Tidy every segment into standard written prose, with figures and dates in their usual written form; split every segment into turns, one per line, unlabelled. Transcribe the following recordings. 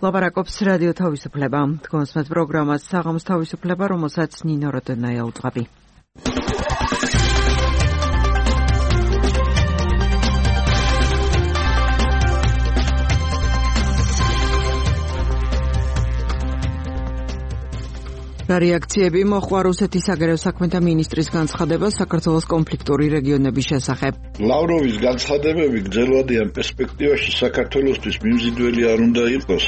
ლაპარაკობს რადიო თავისუფლება. თქვენს პროგრამას საღამოს თავისუფლება, რომელსაც ნინო როდენაია უძღვები. რეაქციები მოხდა რუსეთის საგარეო საქმეთა მინისტრის განცხადებას საქართველოს კონფლიქტური რეგიონების შესახებ.
ლავროვის განცხადებები გრძელვადიან პერსპექტივაში საქართველოსთვის მიმზიდველი არ უნდა იყოს.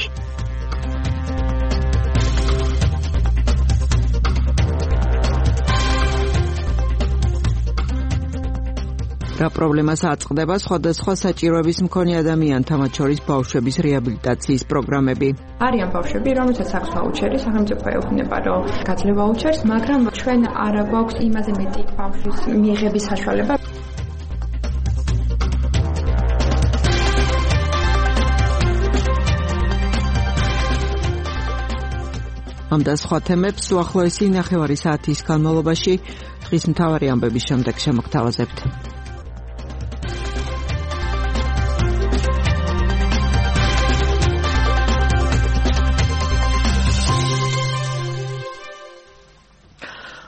რა პრობლემას აწყდება სხვადასხვა საჭიროების მქონე ადამიანთა, მათ შორის ბავშვების რეაბილიტაციის პროგრამები.
არიან ბავშვები, რომელთაც აქვს ვაუჩერი, სახელმწიფო ეუბნება, რომ გაძლევ ვაუჩერს, მაგრამ ჩვენ არ გვაქვს იმაზე მეტი ბავშვის მიიღების საშუალება. ამ და სხვა თემებს უახლოესი ნახევარი საათის განმავლობაში დღის მთავარი ამბების შემდეგ შემოგთავაზებთ.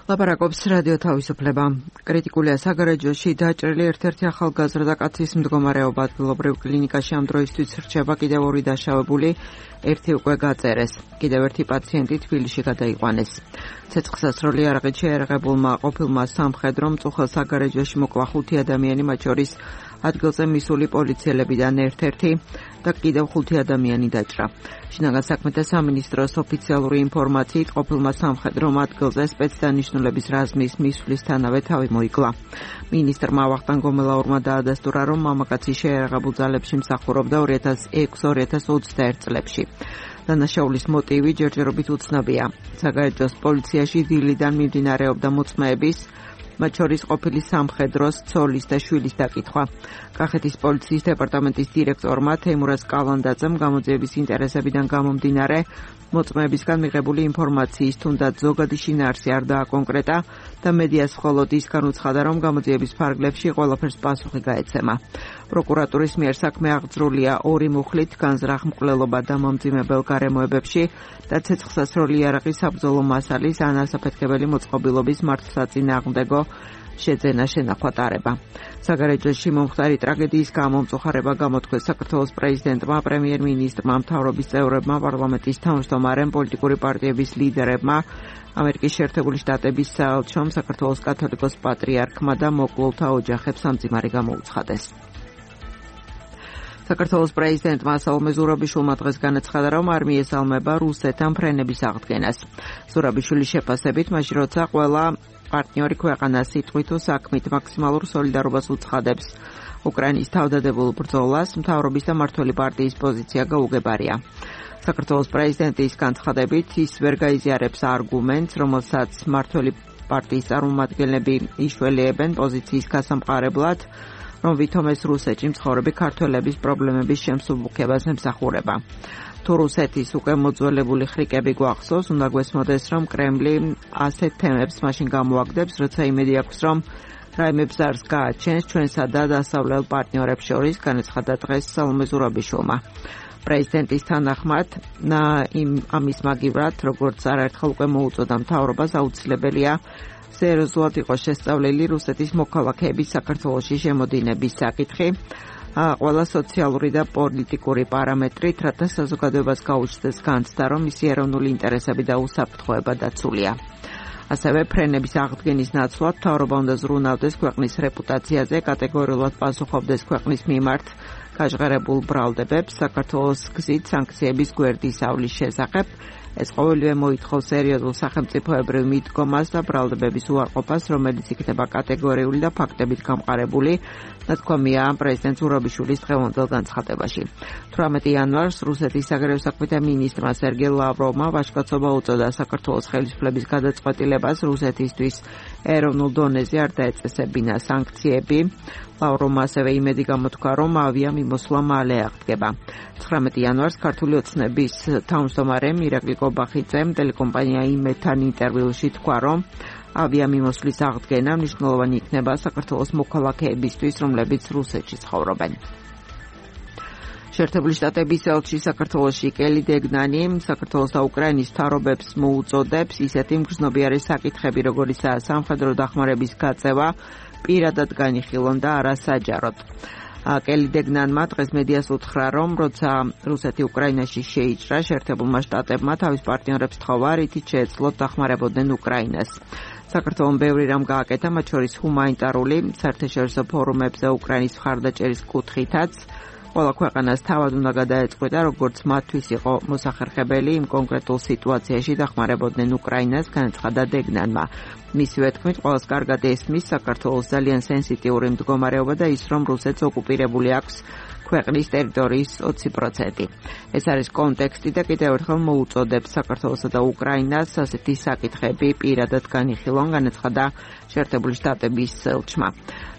ლაპარაკობს რადიო თავისუფლება. კრიტიკულია საგარეჯოში დაჭრილი ერთ-ერთი ახალგაზრდა კაცის მდგომარეობა ადგილობრივ კლინიკაში ამ დროისთვის რჩება კიდევ ორი დაშავებული, ერთი უკვე გაწერეს. კიდევ ერთი პაციენტი თბილისში გადაიყვანეს. ცეცხლსასროლი იარაღით შეერაღებულმა ყოფილმა სამხედრო მწუხელ საგარეჯოში მოკლა 5 ადამიანი, მათ შორის ადგილზე მისული პოლიციელებიდან ერთ-ერთი და კიდევ 5 ადამიანი დაჭრა. შინაგან საქმეთა სამინისტროს ოფიციალური ინფორმაციით ყოფილმა სამხედრო ადგილზე სპეცდანიშნულების რაზმის მისვლისთანავე თავი მოიკლა. მინისტრმა ვახტანგ გომელაურმა დაადასტურა, რომ მამაკაცი შეერაღებულ ძალებში მსახურობდა 2006-2021 წლებში. დანაშაულის მოტივი ჯერჯერობით უცნობია. საგარეჯოს პოლიციაში დილიდან მიმდინარეობდა მოწმეების, მათ შორის ყოფილი სამხედროს ცოლის და შვილის დაკითხვა. კახეთის პოლიციის დეპარტამენტის დირექტორმა თეიმურაზ კალანდაძემ გამოძიების ინტერესებიდან გამომდინარე მოწმეებისგან მიღებული ინფორმაციის თუნდაც ზოგადი შინაარსი არ დააკონკრეტა და მედიას მხოლოდ ის განუცხადა, რომ გამოძიების ფარგლებში ყველაფერს პასუხი გაეცემა. პროკურატურის მიერ საქმე აღძრულია 2 მუხლით განზრახ მკვლელობა და მომძიმებელ გარემოებებში და ცეცხლსასროლი იარაღის საბრძოლო მასალის ან ასაფეთქებელი მოწყობილობის მართლსაწინააღმდეგო შეძენა შენახვა ტარება. საგარეჯოში მომხდარი ტრაგედიის გამო მწუხარება გამოთქვეს საქართველოს პრეზიდენტმა, პრემიერ-მინისტრმა, მთავრობის წევრებმა, პარლამენტის თავმჯდომარემ, პოლიტიკური პარტიების ლიდერებმა, ამერიკის შეერთებული შტატების საელჩომ, საქართველოს კათოლიკოს პატრიარქმა და მოკლულთა ოჯახებს სამძიმარი გამოუცხადეს. საქართველოს პრეზიდენტმა საულმე ზურაბიშვილმა დღეს განაცხადა, რომ არ მიესალმება რუსეთთან ფრენების აღდგენას. ზურაბიშვილის შეფასებით, მაშინ როცა ყველა პარტნიორი ქვეყანა სიტყვით თუ საქმით მაქსიმალურ სოლიდარობას უცხადებს უკრაინის თავდადებულ ბრძოლას, მთავრობის და მმართველი პარტიის პოზიცია გაუგებარია. საქართველოს პრეზიდენტის განცხადებით, ის ვერ გაიზიარებს არგუმენტს, რომელსაც მმართველი პარტიის წარმომადგენლები იშველიებენ პოზიციის გასამყარებლად, რომ ვითომ ეს რუსეთში მცხოვრები ქართველების პრობლემების შემსუბუქებას ემსახურება. თუ რუსეთის უკვე მოძველებული ხრიკები გვახსოვს, უნდა გვესმოდეს, რომ კრემლი ასეთ თემებს მაშინ გამოაგდებს, როცა იმედი აქვს, რომ რაიმე ბზარს გააჩენს ჩვენსა და დასავლელ პარტნიორებს შორის, განაცხადა დღეს საულმე ზურაბიშვილმა. პრეზიდენტის თანახმად, ამის მაგივრად, როგორც არაერთხელ უკვე მოუწოდა მთავრობას, აუცილებელია სერიოზულად იყოს შესწავლილი რუსეთის მოქალაქეების საქართველოში შემოდინების საკითხი, ყველა სოციალური და პოლიტიკური პარამეტრით, რათა საზოგადოებას გაუჩნდეს განცდა, რომ მისი ეროვნული ინტერესები და უსაფრთხოება დაცულია. ასევე ფრენების აღდგენის ნაცვლად მთავრობა უნდა ზრუნავდეს ქვეყნის რეპუტაციაზე, კატეგორიულად პასუხობდეს ქვეყნის მიმართ გაჟღერებულ ბრალდებებს, საქართველოს გზით სანქციების გვერდის ავლის შესახებ. ეს ყოველივე მოითხოვს სერიოზულ სახელმწიფოებრივ მიდგომას და ბრალდებების უარყოფას, რომელიც იქნება კატეგორიული და ფაქტებით გამყარებული, ნათქვამია პრეზიდენტ ზურაბიშვილის დღევანდელ განცხადებაში. 18 იანვარს რუსეთის საგარეო საქმეთა მინისტრმა სერგეი ლავროვმა ვაჟკაცობა უწოდა საქართველოს ხელისუფლების გადაწყვეტილებას რუსეთისთვის ეროვნულ დონეზე არ დაეწესებინა სანქციები. ლავროვმა ასევე იმედი გამოთქვა, რომ ავიამიმოსვლა მალე აღდგება. 19 იანვარს ქართული ოცნების თავმჯდომარემ ირაკლი კობახიძემ ტელეკომპანია იმედთან ინტერვიუში თქვა, რომ ავიამიმოსვლის აღდგენა მნიშვნელოვანი იქნება საქართველოს მოქალაქეებისთვის, რომლებიც რუსეთში ცხოვრობენ. შეერთებული შტატების ელჩი საქართველოში კელი დეგნანი საქართველოს და უკრაინის მთავრობებს მოუწოდებს ისეთი მგრძნობიარე საკითხები, როგორიცაა სამხედრო დახმარების გაწევა, პირადად განიხილონ და არა საჯაროდ. კელი დეგნანმა დღეს მედიას უთხრა, რომ როცა რუსეთი უკრაინაში შეიჭრა, შეერთებულმა შტატებმა თავის პარტნიორებს თხოვა, რითიც შეეძლოთ დახმარებოდნენ უკრაინას. საქართველომ ბევრი რამ გააკეთა, მათ შორის ჰუმანიტარული, საერთაშორისო ფორუმებზე უკრაინის მხარდაჭერის კუთხითაც. ყველა ქვეყანას თავად უნდა გადაეწყვიტა, როგორც მათთვის იყო მოსახერხებელი იმ კონკრეტულ სიტუაციაში დახმარებოდნენ უკრაინას, განაცხადა დეგნანმა. მისივე თქმით, ყველას კარგად ესმის საქართველოს ძალიან სენსიტიური მდგომარეობა და ის, რომ რუსეთს ოკუპირებული აქვს ქვეყნის ტერიტორიის 20%. ეს არის კონტექსტი და კიდევ ერთხელ მოუწოდებს საქართველოსა და უკრაინას ასეთი საკითხები პირადად განიხილონ, განაცხადა შეერთებული შტატების ელჩმა.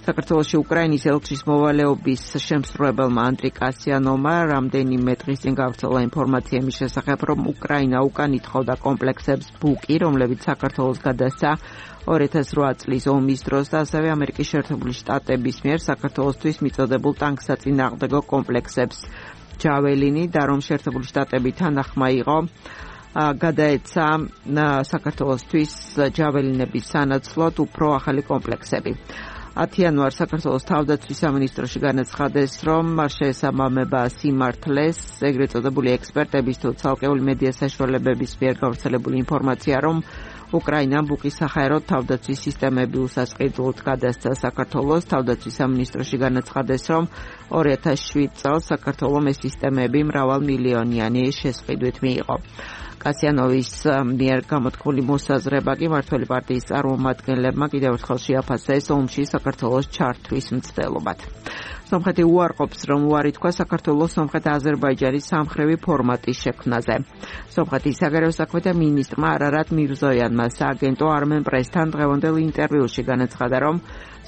საქართველოში უკრაინის ელჩის მოვალეობის შემსრულებელმა ანდრი კასიანოვმა რამდენიმე დღის წინ გავრცელა ინფორმაცია იმის შესახებ, რომ უკრაინა უკან ითხოვდა კომპლექსებს ბუკი, რომლებიც საქართველოს გადასცა 2008 წლის ომის დროს და ასევე ამერიკის შეერთებული შტატების მიერ საქართველოსთვის მიწოდებულ ტანკსაწინააღმდეგო კომპლექსებს ჯაველინი და რომ შეერთებული შტატები თანახმა იყო გადაეცა საქართველოსთვის ჯაველინების სანაცვლოდ უფრო ახალი კომპლექსები. 10 იანვარს საქართველოს თავდაცვის სამინისტროში განაცხადეს, რომ შეესაბამება სიმართლეს ეგრეთ წოდებული ექსპერტების თუ ცალკეული მედია საშუალებების მიერ გავრცელებული ინფორმაცია, რომ უკრაინამ ბუკის საჰაერო თავდაცვის სისტემები უსასყიდლოდ გადასცა საქართველოს. თავდაცვის სამინისტროში განაცხადეს, რომ 2007 წელს საქართველოს ეს სისტემები მრავალმილიონიანი შესყიდვით მიიღო. კასიანოვის მიერ გამოთქმული მოსაზრება კი მმართველი პარტიის წარმომადგენლებმა კიდევ ერთხელ შეაფასეს ომში საქართველოს ჩართვის მცდელობად. სომხეთი უარყოფს, რომ უარი თქვა საქართველოს სომხეთ-აზერბაიჯანის სამხრევი ფორმატის შექმნაზე. სომხეთის საგარეო საქმეთა მინისტრმა არარატ მირზოიანმა სააგენტო Armen Press-თან დღევანდელ ინტერვიუში განაცხადა, რომ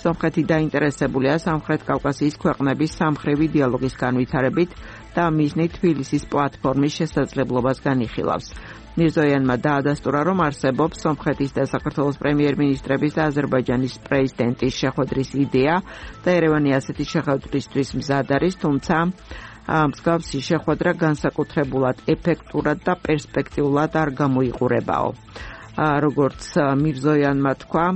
სომხეთი დაინტერესებულია სამხრეთ კავკასიის ქვეყნების სამხრევი დიალოგის განვითარებით და მიზნით თბილისის პლატფორმის შესაძლებლობას განიხილავს. მირზოიანმა დაადასტურა, რომ არსებობს სომხეთის და საქართველოს პრემიერ-მინისტრების და აზერბაიჯანის პრეზიდენტის შეხვედრის იდეა და ერევანი ასეთი შეხვედრისთვის მზად არის, თუმცა მსგავსი შეხვედრა განსაკუთრებულად ეფექტურად და პერსპექტიულად არ გამოიყურებაო. როგორც მირზოიანმა თქვა,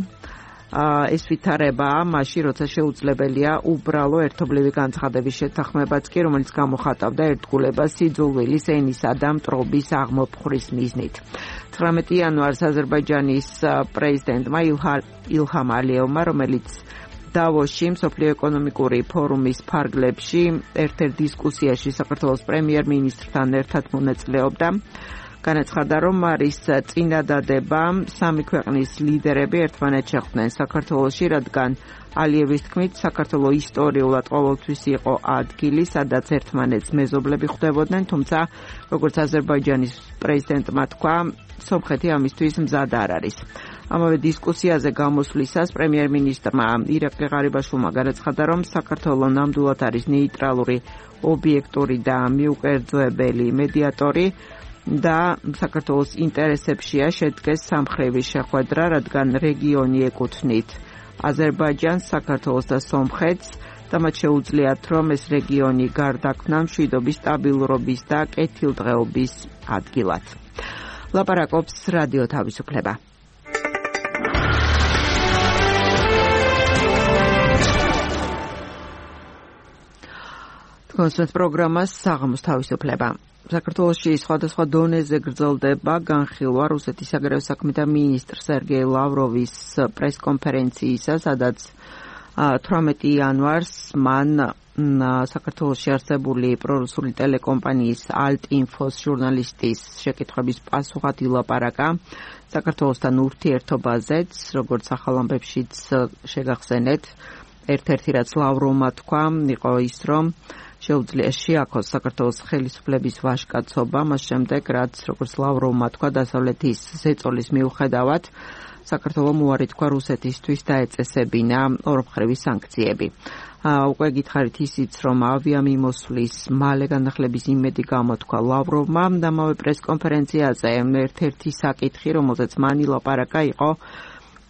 ეს ვითარებაა მაშინ, როცა შეუძლებელია უბრალო ერთობლივი განცხადების შეთანხმებაც კი, რომელიც გამოხატავდა ერთგულებას სიძულვილის, ენისა და მტრობის აღმოფხვრის მიზნით. 19 იანვარს აზერბაიჯანის პრეზიდენტმა ილჰამ ალიევმა, რომელიც დავოსში მსოფლიო ეკონომიკური ფორუმის ფარგლებში ერთ-ერთ დისკუსიაში საქართველოს პრემიერ-მინისტრთან ერთად მონაწილეობდა, განაცხადა, რომ არის წინადადება სამი ქვეყნის ლიდერები ერთმანეთს შეხვდნენ საქართველოში, რადგან ალიევის თქმით, საქართველო ისტორიულად ყოველთვის იყო ადგილი, სადაც ერთმანეთს მეზობლები ხვდებოდნენ, თუმცა, როგორც აზერბაიჯანის პრეზიდენტმა თქვა, სომხეთი ამისთვის მზად არ არის. ამავე დისკუსიაზე გამოსვლისას პრემიერ-მინისტრმა ირაკლი ღარიბაშვილმა განაცხადა, რომ საქართველო ნამდვილად არის ნეიტრალური, ობიექტური და მიუკერძოებელი მედიატორი და საქართველოს ინტერესებშია შედგეს სამხრევი შეხვედრა, რადგან რეგიონი ეკუთვნით აზერბაიჯანს, საქართველოს და სომხეთს და მათ შეუძლიათ, რომ ეს რეგიონი გარდაქმნა მშვიდობის, სტაბილურობის და კეთილდღეობის ადგილად. ლაპარაკობს რადიო თავისუფლება. კონსერტ პროგრამას საღამოს თავისუფლება. საქართველოში სხვადასხვა დონეზე გრძელდება განხილვა რუსეთის საგარეო საქმეთა მინისტრ სერგეი ლავროვის პრესკონფერენციისა, სადაც 18 იანვარს მან საქართველოში არსებული პრორუსული ტელეკომპანიის Alt-Info-ს ჟურნალისტის შეკითხვების პასუხად ილაპარაკა საქართველოსთან ურთიერთობაზეც, როგორც ახალ ამბებშიც შეგახსენეთ. ერთ-ერთი რაც ლავროვმა თქვა, იყო ის, რომ შეუძლია შეაქოს საქართველოს ხელისუფლების ვაჟკაცობა, მას შემდეგ, რაც როგორც ლავროვმა თქვა, დასავლეთის ზეწოლის მიუხედავად, საქართველომ უარი თქვა რუსეთისთვის დაეწესებინა ორმხრივი სანქციები. უკვე გითხარით ისიც, რომ ავიამიმოსვლის მალე განახლების იმედი გამოთქვა ლავროვმა და ამავე პრესკონფერენციაზე ერთ-ერთი საკითხი, რომელზეც მან ილაპარაკა, იყო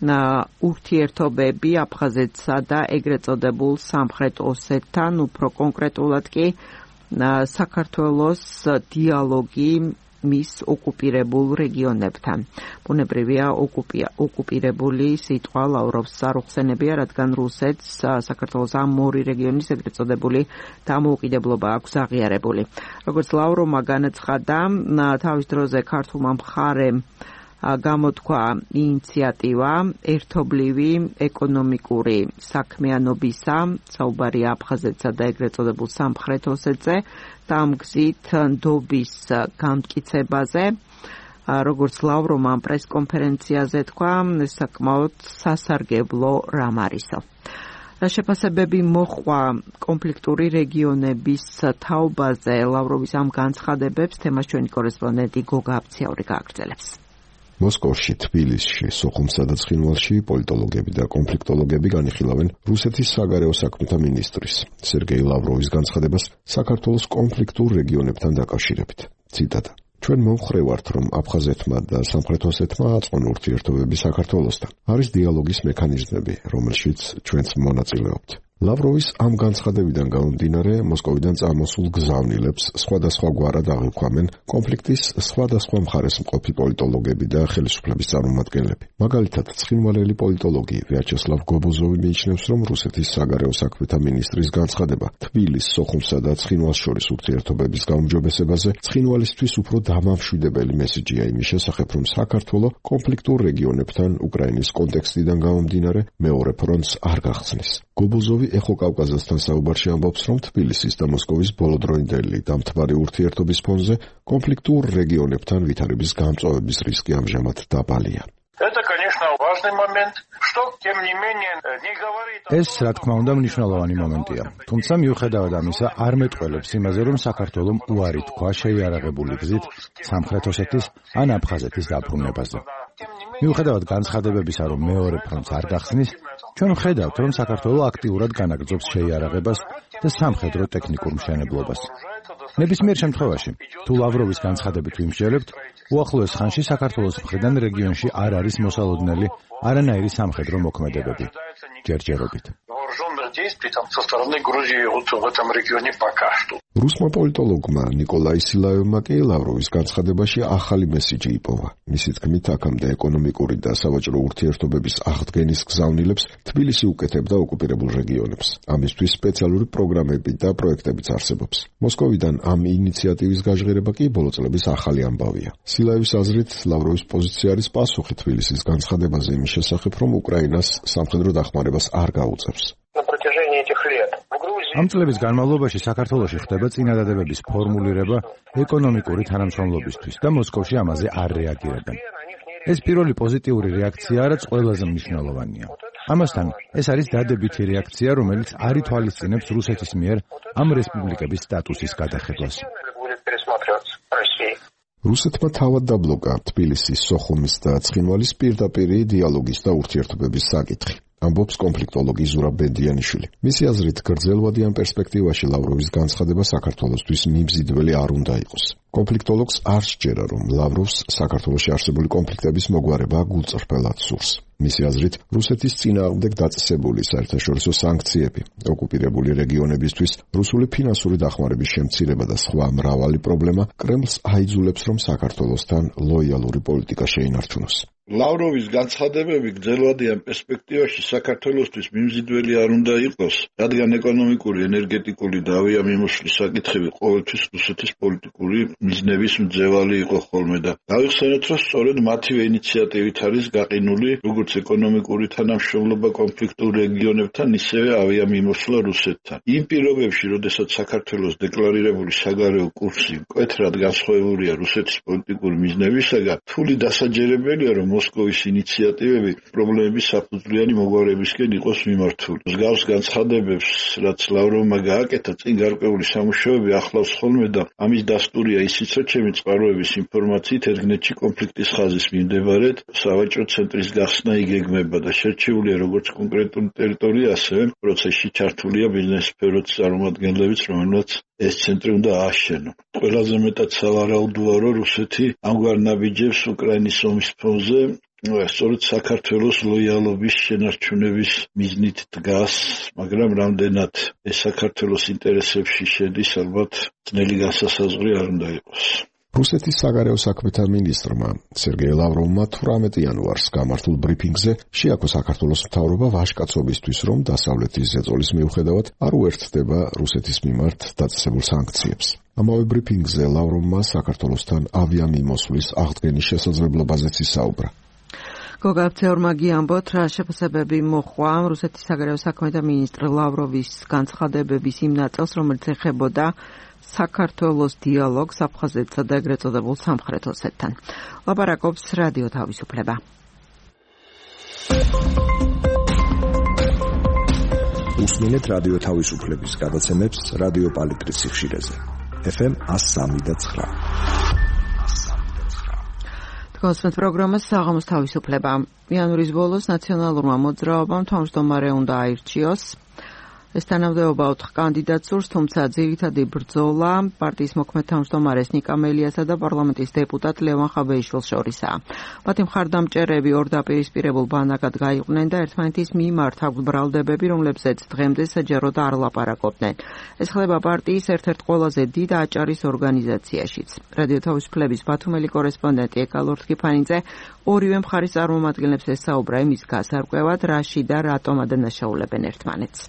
ურთიერთობები აფხაზეთსა და ეგრეთ წოდებულ სამხრეთ ოსეთთან, უფრო კონკრეტულად კი საქართველოს დიალოგი მის ოკუპირებულ რეგიონებთან. ბუნებრივია ოკუპირებული სიტყვა ლავროვს არ უხსენებია, რადგან რუსეთს საქართველოს ამ ორი რეგიონის ეგრეთ წოდებული დამოუკიდებლობა აქვს აღიარებული. როგორც ლავროვმა განაცხადა, თავის დროზე ქართულმა მხარემ გამოთქვა ინიციატივა ერთობლივი ეკონომიკური საქმიანობისა, საუბარია აფხაზეთსა და ეგრეთ წოდებულ სამხრეთ ოსეთზე და ამ გზით ნდობის გამტკიცებაზე. როგორც ლავროვმა ამ პრესკონფერენციაზე თქვა, საკმაოდ სასარგებლო რამ არისო. შეფასებები მოჰყვა კონფლიქტური რეგიონების თაობაზე. ლავროვის ამ განცხადებებს თემას ჩვენი კორესპონდენტი გოგა აბციური გააგრძელებს.
მოსკოვში, თბილისში, სოხუმსა და ცხინვალში პოლიტოლოგები და კონფლიქტოლოგები განიხილავენ რუსეთის საგარეო საქმეთა მინისტრის სერგეი ლავროვის განცხადებას საქართველოს კონფლიქტურ რეგიონებთან დაკავშირებით. ციტატა: ჩვენ მომხრევართ, რომ აფხაზეთმა და სამხრეთ ოსეთმა აწყონ ურთიერთობები საქართველოსთან. არის დიალოგის მექანიზმები, რომელშიც ჩვენც მონაწილეობთ. ლავროვის ამ განცხადებიდან გამომდინარე, მოსკოვიდან წამოსულ გზავნილებს სხვადასხვაგვარად აღიქვამენ კონფლიქტის სხვადასხვა მხარეს მყოფი პოლიტოლოგები და ხელისუფლების წარმომადგენლები. მაგალითად, ცხინვალელი პოლიტოლოგი ვიაჩესლავ გობოზოვი მიიჩნევს, რომ რუსეთის საგარეო საქმეთა მინისტრის განცხადება თბილისს, სოხუმსა და ცხინვალს შორის ურთიერთობების გაუმჯობესებაზე ცხინვალისთვის უფრო დამამშვიდებელი მესიჯია იმის შესახებ, რომ საქართველო კონფლიქტურ რეგიონებთან უკრაინის კონტექსტიდან გამომდინარე მეორე ფრონტს არ გახსნის. გობოზოვი ეხო კავკაზასთან საუბარში ამბობს, რომ თბილისის და მოსკოვის ბოლოდროინდელი დამთბარი ურთიერთობის ფონზე კონფლიქტურ რეგიონებთან ვითარების გამწვავების რისკი ამჟამად დაბალია.
ეს, რა თქმა უნდა, მნიშვნელოვანი მომენტია. თუმცა მიუხედავად ამისა, არ მეტყველებს იმაზე, რომ საქართველომ უარი თქვა შეიარაღებული გზით სამხრეთ ოსეთის ან აფხაზეთის დაბრუნებაზე. მიუხედავად განცხადებებისა, რომ მეორე ფრონტს არ გახსნის, ჩვენ ვხედავთ, რომ საქართველო აქტიურად განაგრძობს შეიარაღებას და სამხედრო ტექნიკურ მშენებლობას. ნებისმიერ შემთხვევაში, თუ ლავროვის განცხადებით ვიმსჯელებთ, უახლოეს ხანში საქართველოს მხრიდან რეგიონში არ არის მოსალოდნელი არანაირი სამხედრო მოქმედებები. ჯერჯერობით.
რუსმა პოლიტოლოგმა ნიკოლაი სილაევმა კი ლავროვის განცხადებაში ახალი მესიჯი იპოვა. მისი თქმით, აქამდე ეკონომიკური და სავაჭრო ურთიერთობების აღდგენის გზავნილებს თბილისი უკეთებდა ოკუპირებულ რეგიონებს. ამისთვის სპეციალური პროგრამები და პროექტებიც არსებობს. მოსკოვიდან ამ ინიციატივის გაჟღერება კი ბოლო წლების ახალი ამბავია. სილაევის აზრით, ლავროვის პოზიცია არის პასუხი თბილისის განცხადებაზე იმის შესახებ, რომ უკრაინას სამხედრო დახმარებას არ გაუწევს.
ამ წლების განმავლობაში საქართველოში ხდება წინადადებების ფორმულირება ეკონომიკური თანამშრომლობისთვის და მოსკოვში ამაზე არ რეაგირებენ. ეს პირველი პოზიტიური რეაქცია, რაც ყველაზე მნიშვნელოვანია. ამასთან, ეს არის დადებითი რეაქცია, რომელიც არ ითვალისწინებს რუსეთის მიერ ამ რესპუბლიკების სტატუსის გადახებას.
რუსეთმა თავად დაბლოკა თბილისის, სოხუმის და ცხინვალის პირდაპირი დიალოგის და ურთიერთობების საკითხი. ამბობს კონფლიქტოლოგი ზურაბ ბედიანიშვილი. მისი აზრით, გრძელვადიან პერსპექტივაში ლავროვის განცხადება საქართველოსთვის მიმზიდველი არ უნდა იყოს. კონფლიქტოლოგს არ სჯერა, რომ ლავროვს საქართველოში არსებული კონფლიქტების მოგვარება გულწრფელად სურს. მისი აზრით, რუსეთის წინააღმდეგ დაწესებული საერთაშორისო სანქციები, ოკუპირებული რეგიონებისთვის რუსული ფინანსური დახმარების შემცირება და სხვა მრავალი პრობლემა კრემლს აიძულებს, რომ საქართველოსთან ლოიალური პოლიტიკა შეინარჩუნოს.
ლავროვის განცხადებები გრძელვადიან პერსპექტივაში საქართველოსთვის მიმზიდველი არ უნდა იყოს, რადგან ეკონომიკური, ენერგეტიკული და ავიამიმოსვლის საკითხები ყოველთვის რუსეთის პოლიტიკური მიზნების მძევალი იყო ხოლმე და გავიხსენოთ, რომ სწორედ მათივე ინიციატივით არის გაყინული როგორც ეკონომიკური თანამშრომლობა კონფლიქტურ რეგიონებთან, ისევე ავიამიმოსვლა რუსეთთან. იმ პირობებში, როდესაც საქართველოს დეკლარირებული საგარეო კურსი მკვეთრად განსხვავებულია რუსეთის პოლიტიკური მიზნებისაგან, რთული დასაჯერებელია, რომ მოსკოვის ინიციატივები პრობლემების საფუძვლიანი მოგვარებისკენ იყოს მიმართული. მსგავს განცხადებებს, რაც ლავროვმა გააკეთა, წინ გარკვეული სამუშაოები ახლავს ხოლმე და ამის დასტურია ისიც, რომ ჩემი წყაროების ინფორმაციით ერთგნეთში კონფლიქტის ხაზის მიმდებარედ სავაჭრო ცენტრის გახსნა იგეგმება და შერჩეულია როგორც კონკრეტული ტერიტორია, ასევე პროცესში ჩართულია ბიზნეს სფეროს წარმომადგენლებიც, რომელსაც ეს ცენტრი უნდა ააშენონ. ყველაზე მეტად სავარაუდოა, რომ რუსეთი ამგვარ ნაბიჯებს უკრაინის ომის ფონზე სწორედ საქართველოს ლოიალობის შენარჩუნების მიზნით დგას, მაგრამ რამდენად ეს საქართველოს ინტერესებში შედის, ალბათ ძნელი განსასაზღვრი არ უნდა იყოს.
რუსეთის საგარეო საქმეთა მინისტრმა სერგეი ლავროვმა 18 იანვარს გამართულ ბრიფინგზე შეაქო საქართველოს მთავრობა ვაჟკაცობისთვის, რომ დასავლეთის ზეწოლის მიუხედავად არ უერთდება რუსეთის მიმართ დაწესებულ სანქციებს. ამავე ბრიფინგზე ლავროვმა საქართველოსთან ავიამიმოსვლის აღდგენის შესაძლებლობაზეც ისაუბრა.
გოგაბცეორმა გიამბოთ, რა შეფასებები მოხვა რუსეთის საგარეო საქმეთა მინისტრ ლავროვის განცხადებების იმ ნაწილს, რომელიც ეხებოდა საქართველოს დიალოგს აფხაზეთსა და ეგრეთ წოდებულ სამხრეთ ოსეთთან. ლაპარაკობს რადიო თავისუფლება.
უსმინეთ რადიო თავისუფლების გადაცემებს რადიო პალიტრის სიხშირეზე. FM 103.9.
კონსერტ პროგრამას საღამოს თავისუფლება. იანვრის ბოლოს ნაციონალურმა მოძრაობამ თავმჯდომარე უნდა აირჩიოს. ეს თანამდებობა 4 კანდიდატს სურს, თუმცა ძირითადი ბრძოლა პარტიის მოქმედ თავმჯდომარეს ნიკა მელიასა და პარლამენტის დეპუტატ ლევან ხაბეიშვილს შორისაა. მათი მხარდამჭერები ორ დაპირისპირებულ ბანაკად გაიყვნენ და ერთმანეთის მიმართ აქვთ ბრალდებები, რომლებზეც დღემდე საჯაროდ არ ლაპარაკობდნენ. ეს ხდება პარტიის ერთ-ერთ ყველაზე დიდ აჭარის ორგანიზაციაშიც. რადიო თავისუფლების ბათუმელი კორესპონდენტი ეკალორთ კიფანიძე ორივე მხარის წარმომადგენლებს ესაუბრა იმის გასარკვევად, რაში და რატომ ადანაშაულებენ ერთმანეთს.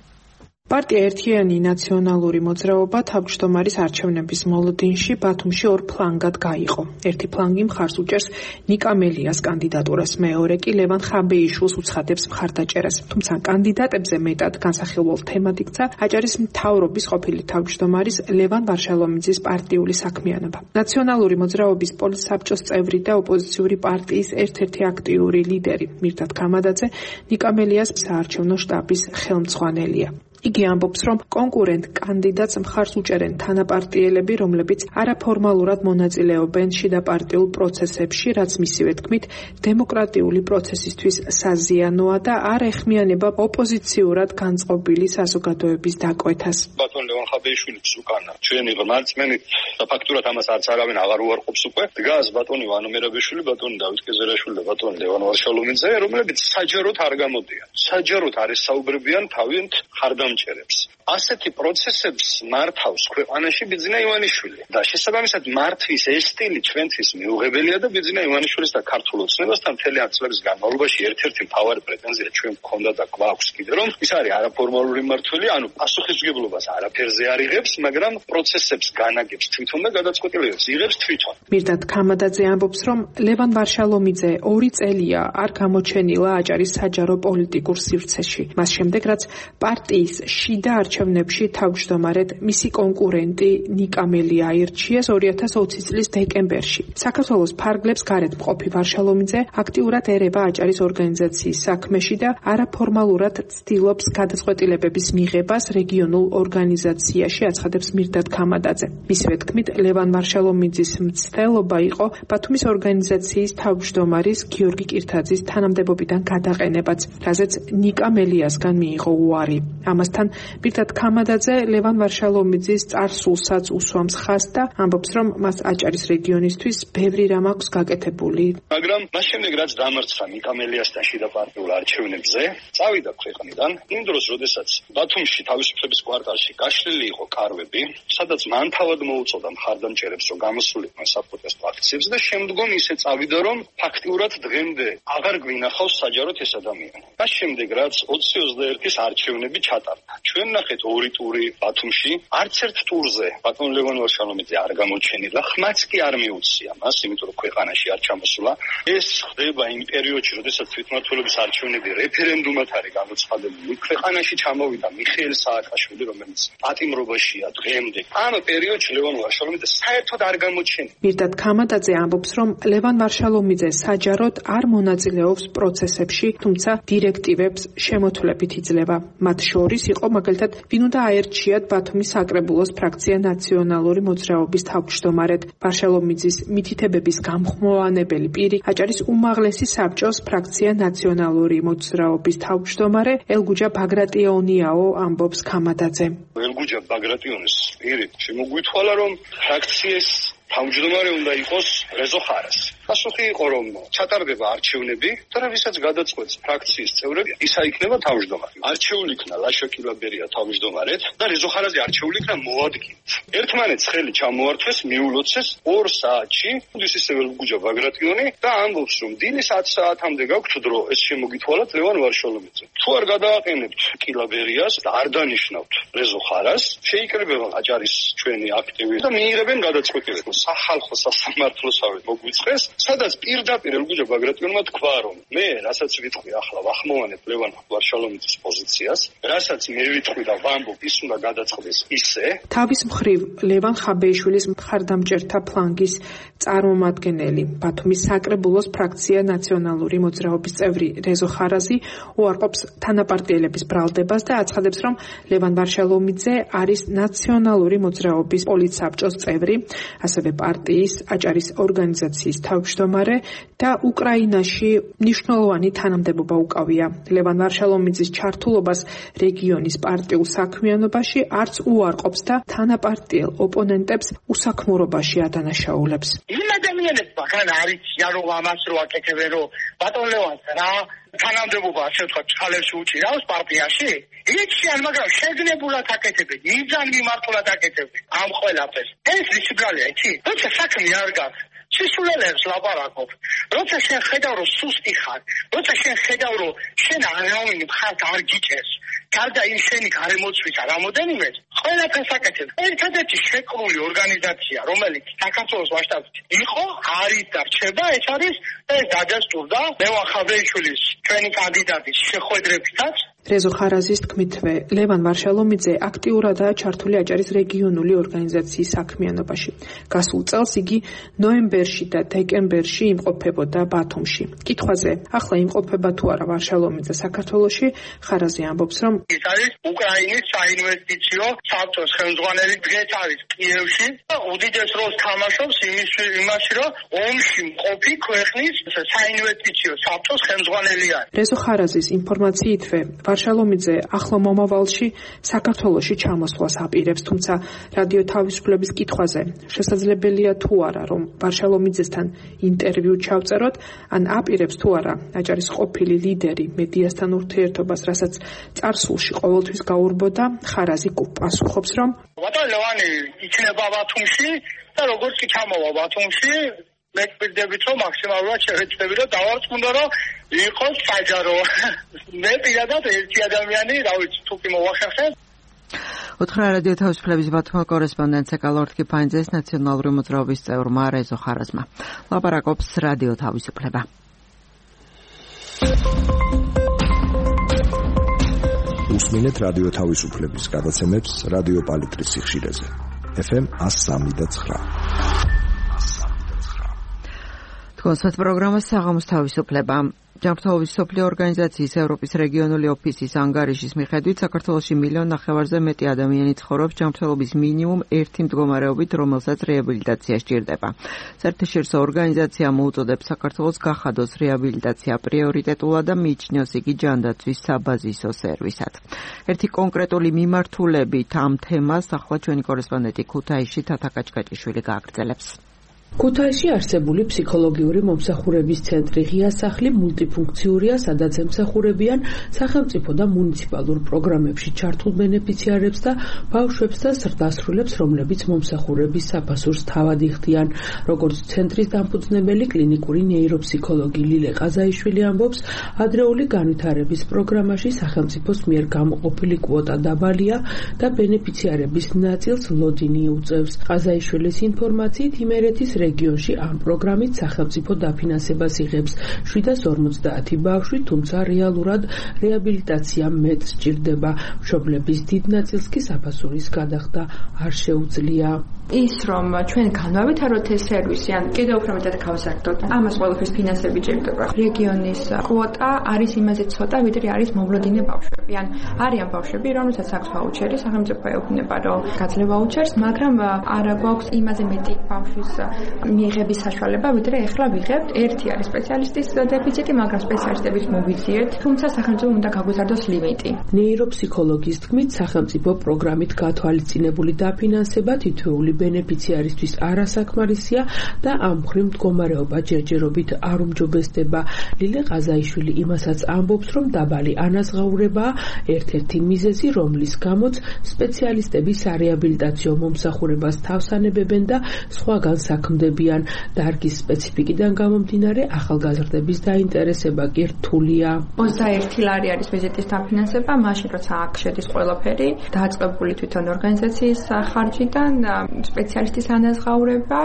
პარტია ერთიანი ნაციონალური მოძრაობა თავმჯდომარის არჩევნების მოლოდინში ბათუმში ორ ფლანგად გაიყო. ერთი ფლანგი მხარს უჭერს ნიკა მელიას კანდიდატურას, მეორე კი ლევან ხაბეიშვილს უცხადებს მხარდაჭერას. თუმცა კანდიდატებზე მეტად განსახილველ თემად იქცა აჭარის მთავრობის ყოფილი თავმჯდომარის ლევან ვარშალომიძის პარტიული საქმიანობა. ნაციონალური მოძრაობის პოლიტსაბჭოს წევრი და ოპოზიციური პარტიის ერთ-ერთი აქტიური ლიდერი მირდად გამადაძე ნიკა მელიას საარჩევნო შტაბის ხელმძღვანელია. იგი ამბობს, რომ კონკურენტ კანდიდატს მხარს უჭერენ თანაპარტიელები, რომლებიც არაფორმალურად მონაწილეობენ შიდა პარტიულ პროცესებში, რაც მისივე თქმით დემოკრატიული პროცესისთვის საზიანოა და არ ეხმიანება ოპოზიციურად განწყობილი საზოგადოების დაკვეთას.
ბატონ ლევან ხაბეიშვილის უკანა ჩვენი ღმერთმენი და ფაქტურად ამას არც არავინ აღარ უარყოფს უკვე. დგას ბატონი ვანო მერაბიშვილი, ბატონი დავით კეზერაშვილი და ბატონი ლევან ვარშალომიძე, რომლებიც საჯაროდ არ გამოდიან. საჯაროდ არ ესაუბრებიან თავიანთ ხარდამჭერებს. ასეთი პროცესებს მართავს ქვეყანაში ბიძინა ივანიშვილი და შესაბამისად მართვის ეს სტილი ჩვენთვის მიუღებელია და ბიძინა ივანიშვილის და ქართულ ოცნებასთან მთელი წლების განმავლობაში ერთ-ერთი მთავარი პრეტენზია ჩვენ გვქონდა და გვაქვს კიდე, რომ ის არის არაფორმალური მმართველი, ანუ პასუხისმგებლობას არაფერზე არ იღებს, მაგრამ პროცესებს განაგებს თვითონ და გადაწყვეტილებებს იღებს თვითონ.
მირდად გამადაძე ამბობს, რომ ლევან ვარშალომიძე 2 წელია არ გამოჩენილა აჭარის საჯარო პოლიტიკურ სივრცეში. მას შემდეგ, რაც პარტიის შიდა არჩევნებში თავმჯდომარედ მისი კონკურენტი ნიკა მელია აირჩიეს 2020 წლის დეკემბერში. საქართველოს ფარგლებს გარეთ მყოფი ვარშალომიძე აქტიურად ერება აჭარის ორგანიზაციის საქმეში და არაფორმალურად ცდილობს გადაწყვეტილებების მიღებას რეგიონულ ორგანიზაციაში, აცხადებს მირდად გამადაძე. მისივე თქმით, ლევან ვარშალომიძის მცდელობა იყო ბათუმის ორგანიზაციის თავმჯდომარის გიორგი კირთაძის თანამდებობიდან გადაყენებაც, რაზეც ნიკა მელიასგან მიიღო უარი. ამასთან მირდად გამადაძე ლევან ვარშალომიძის წარსულსაც უსვამს ხაზს და ამბობს, რომ მას აჭარის რეგიონისთვის ბევრი რამ აქვს გაკეთებული.
მაგრამ მას შემდეგ რაც დამარცხა ნიკა მელიასთან შიდა პარტიულ არჩევნებზე, წავიდა ქვეყნიდან, იმ დროს, როდესაც ბათუმში თავისუფლების კვარტალში გაშლილი იყო კარვები, სადაც მან თავად მოუწოდა მხარდამჭერებს, რომ გამოსულიყვნენ საპროტესტო აქციებს და შემდგომ ისე წავიდა, რომ ფაქტიურად დღემდე აღარ გვინახავს საჯაროდ ეს ადამიანი. მას შემდეგ რაც 2021-ის არჩევნები ჩატარდა. ჩვენ ნახეთ 2 ტური ბათუმში, არც ერთ ტურზე ბატონ ლევან ვარშალომიძე არ გამოჩენილა, ხმაც კი არ მიუცია მას, იმიტომ რომ ქვეყანაში არ ჩამოსულა. ეს ხდება იმ პერიოდში, როდესაც თვითმმართველობის არჩევნები რეფერენდუმად არის გამოცხადებული. ქვეყანაში ჩამოვიდა მიხეილ სააკაშვილი, რომელიც პატიმრობაშია დღემდე. ამ პერიოდში ლევან ვარშალომიძე საერთოდ არ გამოჩენილა.
მირდად გამადაძე ამბობს, რომ ლევან ვარშალომიძე საჯაროდ არ მონაწილეობს პროცესებში, თუმცა დირექტივებს შემოთვლებით იძლევა. მათ შორის იყო მაგალითად, ვინ უნდა აერჩიათ ბათუმის საკრებულოს ფრაქცია ნაციონალური მოძრაობის თავმჯდომარედ. ვარშალომიძის მითითებების გამხმოვანებელი პირი აჭარის უმაღლესი საბჭოს ფრაქცია ნაციონალური მოძრაობის თავმჯდომარე ელგუჯა ბაგრატიონიაო, ამბობს გამადაძე.
ელგუჯა ბაგრატიონის პირი შემოგვითვალა, რომ ფრაქციის თავმჯდომარე უნდა იყოს რეზო ხარასი. პასუხი იყო, რომ ჩატარდება არჩევნები და ვისაც გადაწყვეტს ფრაქციის წევრები, ისა იქნება თავმჯდომარე. არჩეული იქნა ლაშა კილაბერია თავმჯდომარედ და რეზო ხარაზი არჩეული იქნა მოადგილედ. ერთმანეთს ხელი ჩამოართვეს, მიულოცეს 2 საათში, ისე ველგუჯა ბაგრატიონი და ამბობს, რომ დილის 10 საათამდე გაქვთ დრო, ეს შემოგითვალათ ლევან ვარშალომიძე. თუ არ გადააყენებთ კილაბერიას და არ დანიშნავთ რეზო ხარას, შეიკრიბება აჭარის ჩვენი აქტივი და მიიღებენ გადაწყვეტილებას. სახალხო სასამართლოსავე მოგვიწყეს, სადაც პირდაპირ ელგუჯა ბაგრატიონმა თქვა, რომ მე რასაც ვიტყვი ახლა ვახმოვანებ ლევან ვარშალომიძის პოზიციას, რასაც მე ვიტყვი და ვამბობ, ის უნდა გადაწყდეს ისე.
თავის მხრივ ლევან ხაბეიშვილის მხარდამჭერთა ფლანგის წარმომადგენელი ბათუმის საკრებულოს ფრაქცია ნაციონალური მოძრაობის წევრი რეზო ხარაზი უარყოფს თანაპარტიელების ბრალდებას და აცხადებს, რომ ლევან ვარშალომიძე არის ნაციონალური მოძრაობის პოლიტსაბჭოს წევრი, ასევე პარტიის აჭარის ორგანიზაციის თავმჯდომარე და უკრაინაში მნიშვნელოვანი თანამდებობა უკავია. ლევან ვარშალომიძის ჩართულობას რეგიონის პარტიულ საქმიანობაში არც უარყოფს და თანაპარტიელ ოპონენტებს უსაქმურობაში ადანაშაულებს.
იმ ადამიანებმა გან არის რომ ამას რო აკეთებენ, რომ ბატონ ლევანს რა თანამდებობა ასე ვთქვათ ჩხალებში უჭირავს პარტიაში? იციან, მაგრამ შეგნებულად აკეთებენ, მიზან მიმართულად აკეთებენ ამ ყველაფერს. ეს ისგალია, იცი? როცა საქმე არ გაქვს, სისულელებს ლაპარაკობ. როცა შენ ხედავ, რომ სუსტი ხარ, როცა შენ ხედავ, რომ შენ არავინ მხარს არ გიჭერს, გარდა იმ შენი გარემოცვისა რამოდენიმეს, ყველაფერს აკეთებ. ერთადერთი შეკრული ორგანიზაცია, რომელიც საქართველოს მასშტაბით იყო, არის და რჩება, ეს არის დადასტურდა ლევან ხაბეიშვილის ჩვენი კანდიდატის შეხვედრებითაც.
რეზო ხარაზის თქმითვე, ლევან ვარშალომიძე აქტიურადაა ჩართული აჭარის რეგიონული ორგანიზაციის საქმიანობაში. გასულ წელს იგი ნოემბერში და დეკემბერში იმყოფებოდა ბათუმში. კითხვაზე, ახლა იმყოფება თუ არა ვარშალომიძე საქართველოში, ხარაზი ამბობს, რომ
ის არის უკრაინის საინვესტიციო საბჭოს ხელმძღვანელი, დღეს არის კიევში და უდიდეს როლს თამაშობს იმაში, რომ ომში მყოფი ქვეყნის საინვესტიციო საბჭოს ხელმძღვანელი არის.
რეზო ხარაზის ინფორმაციითვე ვარშალომიძე ახლო მომავალში საქართველოში ჩამოსვლას აპირებს, თუმცა რადიო თავისუფლების კითხვაზე შესაძლებელია თუ არა, რომ ვარშალომიძესთან ინტერვიუ ჩავწეროთ, ან აპირებს თუ არა აჭარის ყოფილი ლიდერი მედიასთან ურთიერთობას, რასაც წარსულში ყოველთვის გაურბოდა, ხარაზი პასუხობს, რომ
ბატონ ლევანი იქნება ბათუმში და როგორც კი ჩამოვა ბათუმში, მე ვფიქრობ, რომ მაქსიმალურად შევეცდები, რომ დავარწმუნდო, რომ იყოს საჯარო. მე პირადად ერთი ადამიანი, რა ვიცი, თუ კი მოვახერხე.
უთხრა რადიო თავისუფლების ბათუმის კორესპონდენტ ეკალორთ კიფანიძეს ნაციონალური მოძრაობის წევრმა რეზო ხარაზმა. ლაპარაკობს რადიო თავისუფლება.
უსმინეთ რადიო თავისუფლების გადაცემებს რადიო პალიტრის სიხშირეზე. FM 103.9.
კონსერტ პროგრამა საღამოს თავისუფლება. ჯანმრთელობის მსოფლიო ორგანიზაციის ევროპის რეგიონული ოფისის ანგარიშის მიხედვით საქართველოში 1.5 მილიონზე მეტი ადამიანი ცხოვრობს ჯანმრთელობის მინიმუმ ერთი მდგომარეობით, რომელსაც რეაბილიტაცია სჭირდება. საერთაშორისო ორგანიზაცია მოუწოდებს საქართველოს გახადოს რეაბილიტაცია პრიორიტეტულად და მიიჩნევს იგი ჯანდაცვის საბაზისო სერვისად. ერთი კონკრეტული მიმართულებით ამ თემას ახლა ჩვენი კორესპონდენტი ქუთაისში თათა კაჭკაჭიშვილი გააგრძელებს.
ქუთაისში არსებული ფსიქოლოგიური მომსახურების ცენტრი ღია სახლი მულტიფუნქციურია, სადაც ემსახურებიან სახელმწიფო და მუნიციპალურ პროგრამებში ჩართულ ბენეფიციარებს და ბავშვებს და ზრდასრულებს, რომლებიც მომსახურების საფასურს თავად იხდიან. როგორც ცენტრის დამფუძნებელი კლინიკური ნეიროფსიქოლოგი ლილე ყაზაიშვილი ამბობს, ადრეული განვითარების პროგრამაში სახელმწიფოს მიერ გამოყოფილი კვოტა დაბალია და ბენეფიციარების ნაწილს ლოდინი უწევს. ყაზაიშვილის ინფორმაციით, იმერეთის რეგიონში ამ პროგრამით სახელმწიფო დაფინანსებას იღებს 750 ბავშვი, თუმცა რეალურად რეაბილიტაცია მეტ სჭირდება. მშობლების დიდ ნაწილს კი საფასურის გადახდა არ შეუძლია.
ის რომ ჩვენ განავითაროთ ეს სერვისი, ან კიდევ უფრო მეტად გავზარდოთ, ამას ყველაფერს ფინანსები ჭირდება. რეგიონის კვოტა არის იმაზე ცოტა, ვიდრე არის მოვლოდინე ბავშვები. ან არიან ბავშვები, რომელთაც აქვს ვაუჩერი, სახელმწიფო ეუბნება, რომ გაძლევ ვაუჩერს, მაგრამ არა გვაქვს იმაზე მეტი ბავშვის მიიღების საშუალება, ვიდრე ეხლა ვიღებთ. ერთი არის სპეციალისტის დეფიციტი, მაგრამ სპეციალისტების მოვიძიეთ, თუმცა სახელმწიფო უნდა გაგვიზარდოს ლიმიტი.
ნეიროფსიქოლოგის თქმით, სახელმწიფო პროგრამით გათვალისწინებული დაფინანსება თითოეული ბენეფიციარისთვის არასაკმარისია და ამ მხრივ მდგომარეობა ჯერჯერობით არ უმჯობესდება. ლილე ყაზაიშვილი იმასაც ამბობს, რომ დაბალი ანაზღაურებაა ერთ-ერთი მიზეზი, რომლის გამოც სპეციალისტები სარეაბილიტაციო მომსახურებას თავსანებებენ და სხვაგან საქმდებიან. დარგის სპეციფიკიდან გამომდინარე, ახალგაზრდების დაინტერესება კი რთულია.
21 ლარი არის ვიზიტის დაფინანსება, მაშინ როცა აქ შედის ყველაფერი, დაწყებული თვითონ ორგანიზაციის ხარჯიდან, სპეციალისტის ანაზღაურება,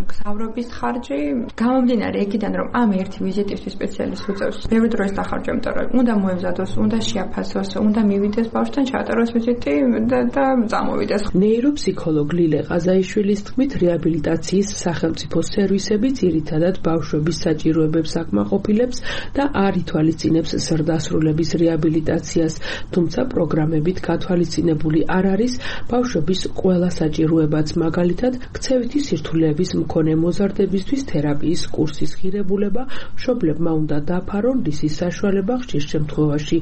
მგზავრობის ხარჯი, გამომდინარე იქიდან, რომ ამ ერთი ვიზიტისთვის სპეციალისტს უწევს ბევრი დროის დახარჯვა, იმიტომ რომ უნდა მოემზადოს, უნდა შეაფასოს, უნდა მივიდეს ბავშვთან ჩაატაროს ვიზიტი და წამოვიდეს.
ნეიროფსიქოლოგ ლილე ყაზაიშვილის თქმით, რეაბილიტაციის სახელმწიფო სერვისები ძირითადად ბავშვების საჭიროებებს აკმაყოფილებს და არ ითვალისწინებს ზრდასრულების რეაბილიტაციას, თუმცა პროგრამებით გათვალისწინებული არ არის ბავშვების ყველა საჭიროებაც, მაგალითად, ქცევითი სირთულეების მქონე მოზარდებისთვის თერაპიის კურსის ღირებულება მშობლებმა უნდა დაფარონ, რისის საშუალება ხშირ შემთხვევაში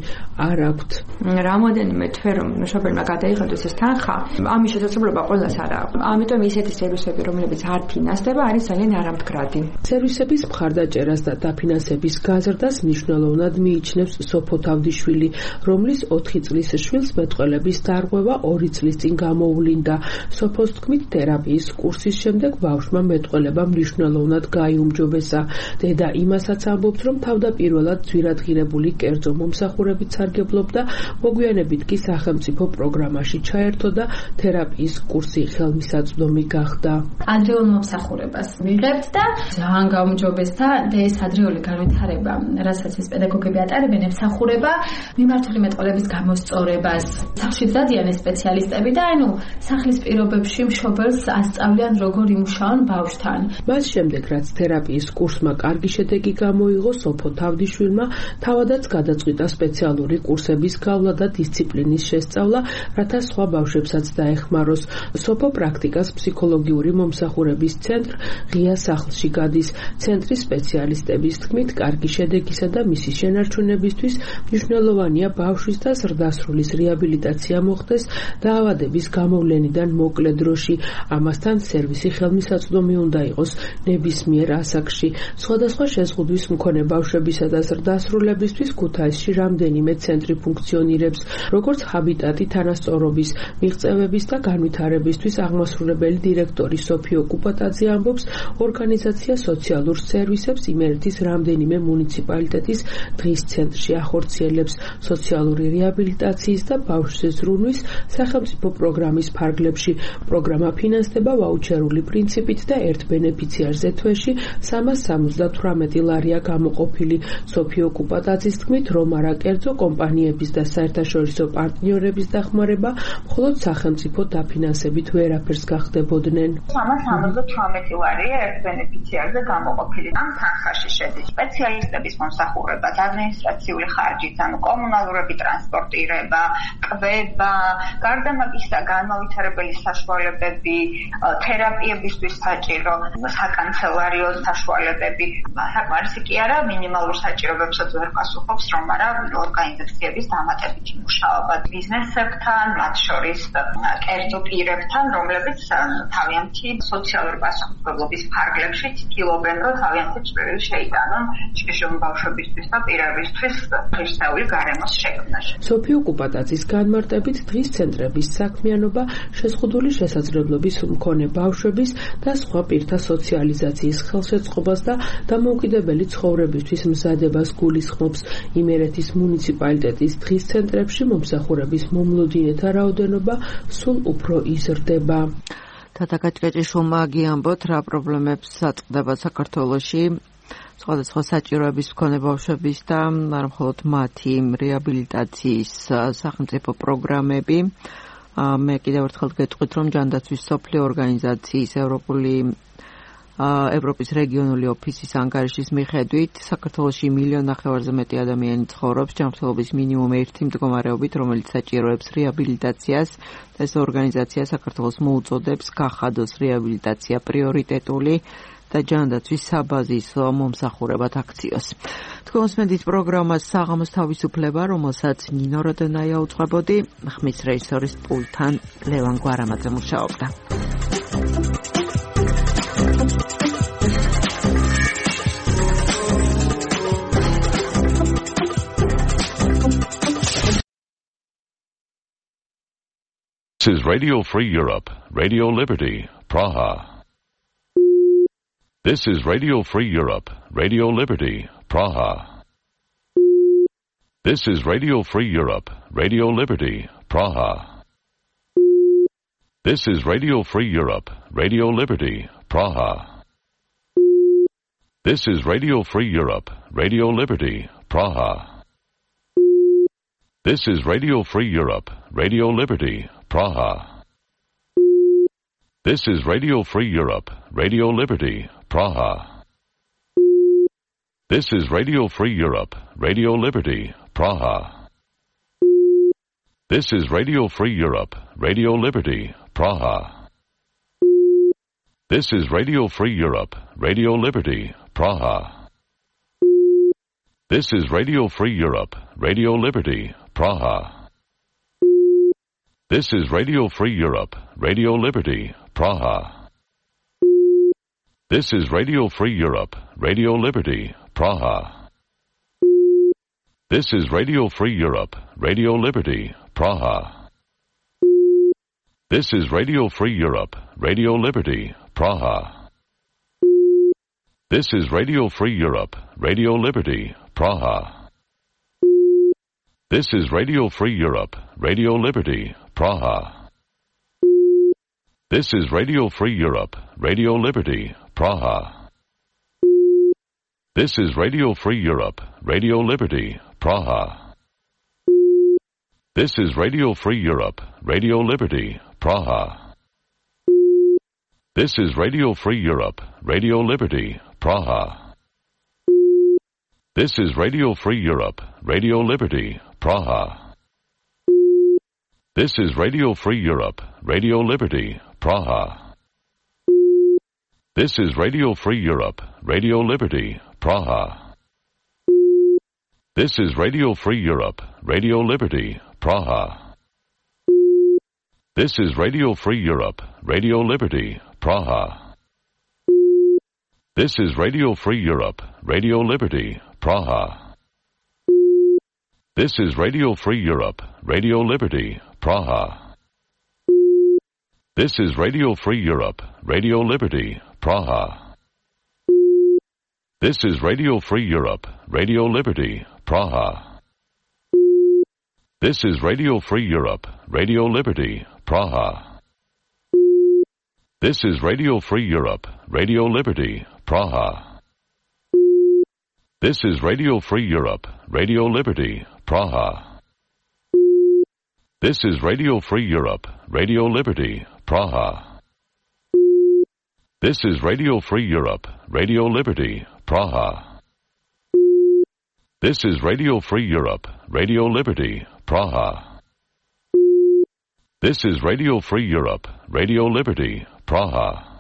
არ აქვთ.
რამოდენიმე თვე რომ მშობელმა გადაიღოს ეს თანხა, ამის შესაძლებლობა ყველას არ აქვს. ამიტომ ისეთი სერვისები, რომლებიც არ ფინანსდება, არის ძალიან არამდგრადი.
სერვისების მხარდაჭერას და დაფინანსების გაზრდას მნიშვნელოვნად მიიჩნევს სოფო თავდიშვილი, რომლის 4 წლის შვილს მეტყველების დარღვევა 2 წლის წინ გამოუვლინდა. სოფოს თქმით, თერაპიის კურსის შემდეგ ბავშვმა მეტყველება მნიშვნელოვნად გაიუმჯობესა. დედა იმასაც ამბობს, რომ თავდაპირველად ძვირადღირებული კერძო მომსახურებით სარგებლობდა, მოგვიანებით კი სახელმწიფო პროგრამაში ჩაერთო და თერაპიის კურსი ხელმისაწვდომი გახდა.
ადრეულ მომსახურებას ვიღებთ და ძალიან გაუმჯობესდა ეს ადრეული განვითარება, რასაც ეს პედაგოგები ატარებენ, ემსახურება მიმართული მეტყველების გამოსწორებას. სახლში დადიან ეს სპეციალისტები და სახლის პირობებში მშობელს ასწავლიან როგორ იმუშაონ ბავშვთან.
მას შემდეგ, რაც თერაპიის კურსმა კარგი შედეგი გამოიღო, სოფო თავდიშვილმა თავადაც გადაწყვიტა სპეციალური კურსების გავლა და დისციპლინის შესწავლა, რათა სხვა ბავშვებსაც დაეხმაროს. სოფო პრაქტიკას ფსიქოლოგიური მომსახურების ცენტრ ღია სახლში გადის. ცენტრის სპეციალისტების თქმით, კარგი შედეგისა და მისი შენარჩუნებისთვის მნიშვნელოვანია ბავშვის და ზრდასრულის რეაბილიტაცია მოხდეს დაავადების გამოვლენიდან მოკლე დროში. ამასთან სერვისი ხელმისაწვდომი უნდა იყოს ნებისმიერ ასაკში. სხვადასხვა შეზღუდვის მქონე ბავშვებისა და ზრდასრულებისთვის ქუთაისში რამდენიმე ცენტრი ფუნქციონირებს, როგორც ჰაბიტატი თანასწორობის, მიღწევების და განვითარებისთვის აღმასრულებელი დირექტორი სოფიო კუპატაძე ამბობს, ორგანიზაცია სოციალურ სერვისებს იმერეთის რამდენიმე მუნიციპალიტეტის დღის ცენტრში ახორციელებს სოციალური რეაბილიტაციის და ბავშვზე ზრუნვის სახელმწიფო პროგრამის ფარგლებში. პროგრამა ფინანსდება ვაუჩერული პრინციპით და ერთ ბენეფიციარზე თვეში 378 ლარია გამოყოფილი. სოფიო კუპატაძის თქმით, რომ არა კერძო კომპანიების და საერთაშორისო პარტნიორების დახმარება, მხოლოდ სახელმწიფო დაფინანსებით ვერაფერს გახდებოდნენ.
378 ლარია ერთ ბენეფიციარზე გამოყოფილი. ამ თანხაში შედის სპეციალისტების მომსახურება, ადმინისტრაციული ხარჯით, კომუნალურები, ტრანსპორტირება, კვება, გარდა მაგისა განმავითარებელი საშუალებები, თერაპიებისთვის საჭირო საკანცელარიო საშუალებები. საკმარისი კი არა, მინიმალურ საჭიროებებსაც ვერ პასუხობს, რომ არა ორგანიზაციების დამატებითი მუშაობა ბიზნესებთან, მათ შორის კერძო პირებთან, რომლებიც თავიანთი სოციალური პასუხისმგებლობის ფარგლებში ცდილობენ, რომ თავიანთი წვლილი შეიტანონ ჭიშკრის ბავშვებისთვის და პირებისთვის ღირსეული გარემოს შექმნაში.
სოფიო კუპატაძის განმარტებით, დღის ცენტრების საქმიანობა შეზღუდული შესაძლებლობის მქონე ბავშვების და სხვა პირთა სოციალიზაციის ხელშეწყობას და დამოუკიდებელი ცხოვრებისთვის მზადებას გულისხმობს. იმერეთის მუნიციპალიტეტის დღის ცენტრებში მომსახურების მომლოდინეთა რაოდენობა სულ უფრო იზრდება.
თათაკაჭკაჭი შუმაგი ამბობთ, რა პრობლემებს აწყდება საქართველოში სხვადასხვა საჭიროების მქონე ბავშვების და არ მხოლოდ მათი რეაბილიტაციის სახელმწიფო პროგრამები. მე კიდევ ერთხელ გეტყვით, რომ ჯანდაცვის სოფლიო ორგანიზაციის ევროპის რეგიონული ოფისის ანგარიშის მიხედვით, საქართველოში 1,5 მილიონზე მეტი ადამიანი ცხოვრობს ჯანმრთელობის მინიმუმ ერთი მდგომარეობით, რომელიც საჭიროებს რეაბილიტაციას. ეს ორგანიზაცია საქართველოს მოუწოდებს გახადოს რეაბილიტაცია პრიორიტეტული და ჯანდაცვის საბაზისო მომსახურებად აქციოს. თქვენ უსმენთ პროგრამას საღამოს თავისუფლება, რომელსაც ნინო როდონაია უძღვებოდი, ხმის რეჟისორის პულტთან ლევან გვარამაძე მუშაობდა.
This is Radio Free Europe, Radio Liberty, Praha. This is Radio Free Europe, Radio Liberty, Praha. This is Radio Free Europe, Radio Liberty, Praha. This is Radio Free Europe, Radio Liberty, Praha. This is Radio Free Europe, Radio Liberty, Praha. This is Radio Free Europe, Radio Liberty, Praha. This is Radio Free Europe, Radio Liberty, Praha. This is Radio Free Europe, Radio Liberty, Praha. This is Radio Free Europe, Radio Liberty, Praha. This is Radio Free Europe, Radio Liberty, Praha. This is Radio Free Europe, Radio Liberty, Praha. This is Radio Free Europe, Radio Liberty, Praha. This is Radio Free Europe, Radio Liberty, Praha. This is Radio Free Europe, Radio Liberty, Praha. This is Radio Free Europe, Radio Liberty, Praha. This is Radio Free Europe, Radio Liberty, Praha. This is Radio Free Europe, Radio Liberty, Praha. This is Radio Free Europe, Radio Liberty, Praha. This is Radio Free Europe, Radio Liberty, Praha. This is Radio Free Europe, Radio Liberty, Praha. This is Radio Free Europe, Radio Liberty, Praha. This is Radio Free Europe, Radio Liberty, Praha. This is Radio Free Europe, Radio Liberty, Praha. This is Radio Free Europe, Radio Liberty, Praha. This is Radio Free Europe, Radio Liberty, Praha. This is Radio Free Europe, Radio Liberty, Praha. This is Radio Free Europe, Radio Liberty, Praha. This is Radio Free Europe, Radio Liberty, Praha. This is Radio Free Europe, Radio Liberty, Praha. This is Radio Free Europe, Radio Liberty, Praha. This is Radio Free Europe, Radio Liberty, Praha. This is Radio Free Europe, Radio Liberty, Praha. This is Radio Free Europe, Radio Liberty, Praha. This is Radio Free Europe, Radio Liberty, Praha. This is Radio Free Europe, Radio Liberty, Praha. This is Radio Free Europe, Radio Liberty, Praha. This is Radio Free Europe, Radio Liberty, Praha.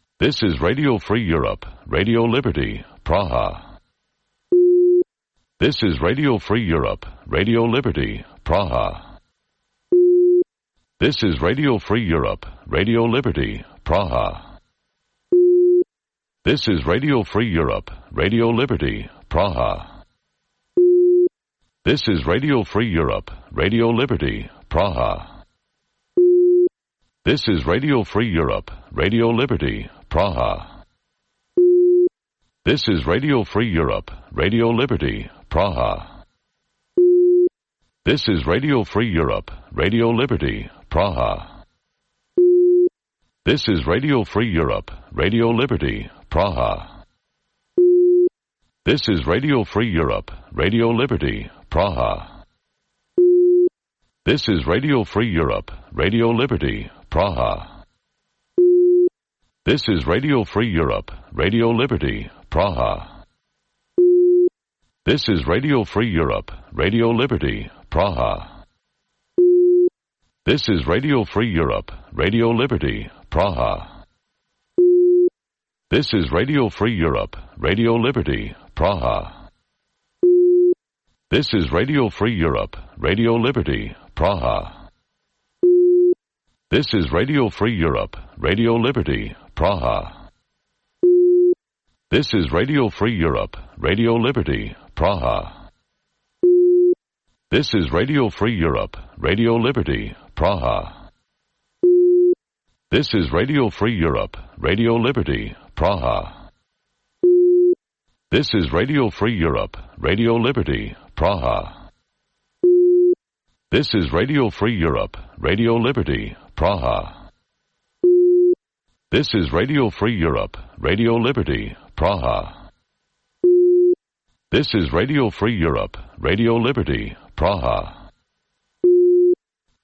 This is Radio Free Europe, Radio Liberty, Praha. This is Radio Free Europe, Radio Liberty, Praha. This is Radio Free Europe, Radio Liberty, Praha. This is Radio Free Europe, Radio Liberty, Praha. This is Radio Free Europe, Radio Liberty, Praha. This is Radio Free Europe, Radio Liberty, Praha. This is Radio Free Europe, Radio Liberty, Praha. This is Radio Free Europe, Radio Liberty, Praha. This is Radio Free Europe, Radio Liberty, Praha. This is Radio Free Europe, Radio Liberty, Praha. This is Radio Free Europe, Radio Liberty, Praha. This is Radio Free Europe, Radio Liberty, Praha. This is Radio Free Europe, Radio Liberty, Praha. This is Radio Free Europe, Radio Liberty, Praha. This is Radio Free Europe, Radio Liberty, Praha. This is Radio Free Europe, Radio Liberty, Praha. This is Radio Free Europe, Radio Liberty, Praha. This is Radio Free Europe, Radio Liberty, Praha. This is Radio Free Europe, Radio Liberty, Praha. This is Radio Free Europe, Radio Liberty, Praha. This is Radio Free Europe, Radio Liberty, Praha. This is Radio Free Europe, Radio Liberty, Praha. This is Radio Free Europe, Radio Liberty, Praha. This is Radio Free Europe, Radio Liberty, Praha.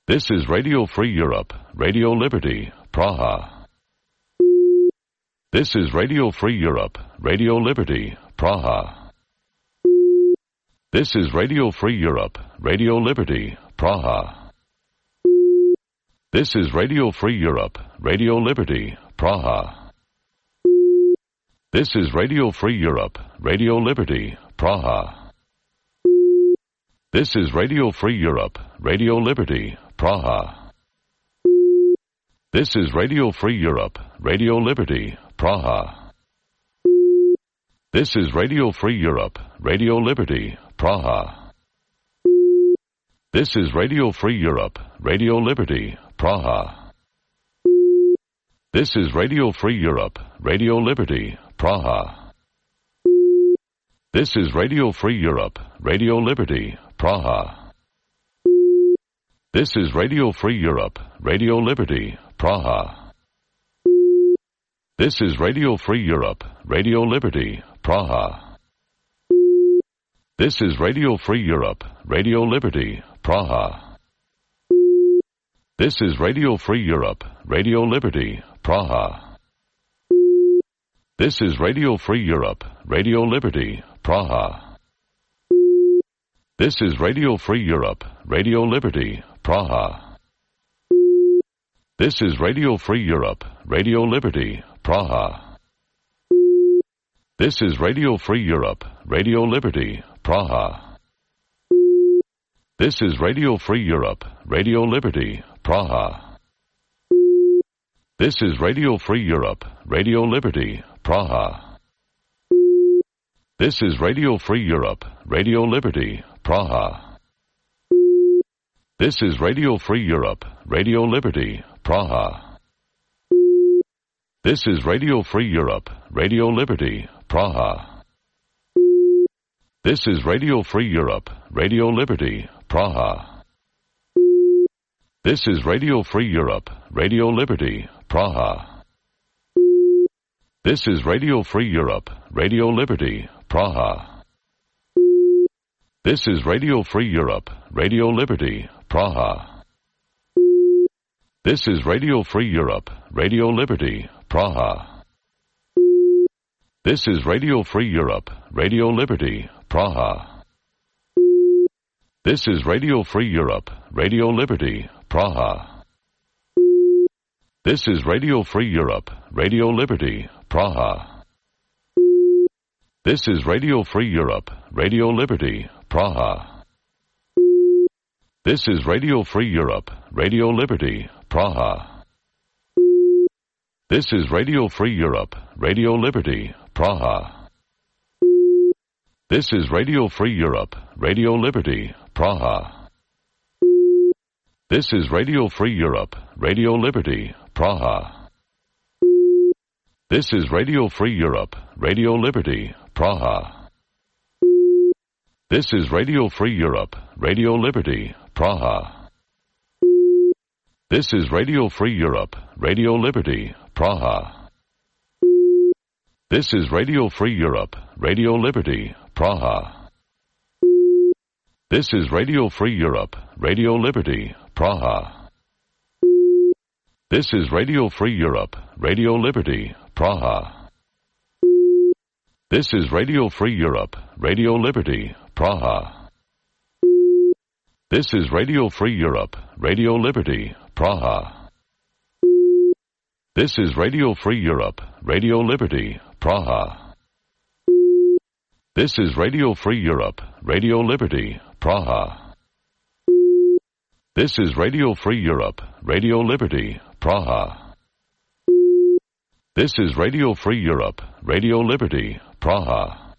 This is Radio Free Europe, Radio Liberty, Praha. This is Radio Free Europe, Radio Liberty, Praha. This is Radio Free Europe, Radio Liberty, Praha. This is Radio Free Europe, Radio Liberty, Praha. This is Radio Free Europe, Radio Liberty, Praha. This is Radio Free Europe, Radio Liberty, Praha. This is Radio Free Europe, Radio Liberty, Praha. This is Radio Free Europe, Radio Liberty, Praha. This is Radio Free Europe, Radio Liberty, Praha. This is Radio Free Europe, Radio Liberty, Praha. This is Radio Free Europe, Radio Liberty, Praha. This is Radio Free Europe, Radio Liberty, Praha. This is Radio Free Europe, Radio Liberty, Praha. This is Radio Free Europe, Radio Liberty, Praha. This is Radio Free Europe, Radio Liberty, Praha. This is Radio Free Europe, Radio Liberty, Praha. This is Radio Free Europe, Radio Liberty, Praha. This is Radio Free Europe, Radio Liberty, Praha. This is Radio Free Europe, Radio Liberty, Praha. This is Radio Free Europe, Radio Liberty, Praha. This is Radio Free Europe, Radio Liberty, Praha. This is Radio Free Europe, Radio Liberty, Praha. This is Radio Free Europe, Radio Liberty, Praha. This is Radio Free Europe, Radio Liberty, Praha. This is Radio Free Europe, Radio Liberty, Praha. This is Radio Free Europe, Radio Liberty, Praha. This is Radio Free Europe, Radio Liberty, Praha. This is Radio Free Europe, Radio Liberty, Praha. This is Radio Free Europe, Radio Liberty, Praha. This is Radio Free Europe, Radio Liberty, Praha. This is Radio Free Europe, Radio Liberty, Praha. This is Radio Free Europe, Radio Liberty, Praha. This is Radio Free Europe, Radio Liberty, Praha. This is Radio Free Europe, Radio Liberty, Praha. This is Radio Free Europe, Radio Liberty, Praha. This is Radio Free Europe, Radio Liberty, Praha. This is Radio Free Europe, Radio Liberty, Praha. This is Radio Free Europe, Radio Liberty, Praha. This is Radio Free Europe, Radio Liberty, Praha. This is Radio Free Europe, Radio Liberty, Praha. This is Radio Free Europe, Radio Liberty, Praha. This is Radio Free Europe, Radio Liberty, Praha. This is Radio Free Europe, Radio Liberty, Praha. This is Radio Free Europe, Radio Liberty, Praha. This is Radio Free Europe, Radio Liberty, Praha. This is Radio Free Europe, Radio Liberty, Praha. This is Radio Free Europe, Radio Liberty, Praha. This is Radio Free Europe, Radio Liberty, Praha. This is Radio Free Europe, Radio Liberty, Praha.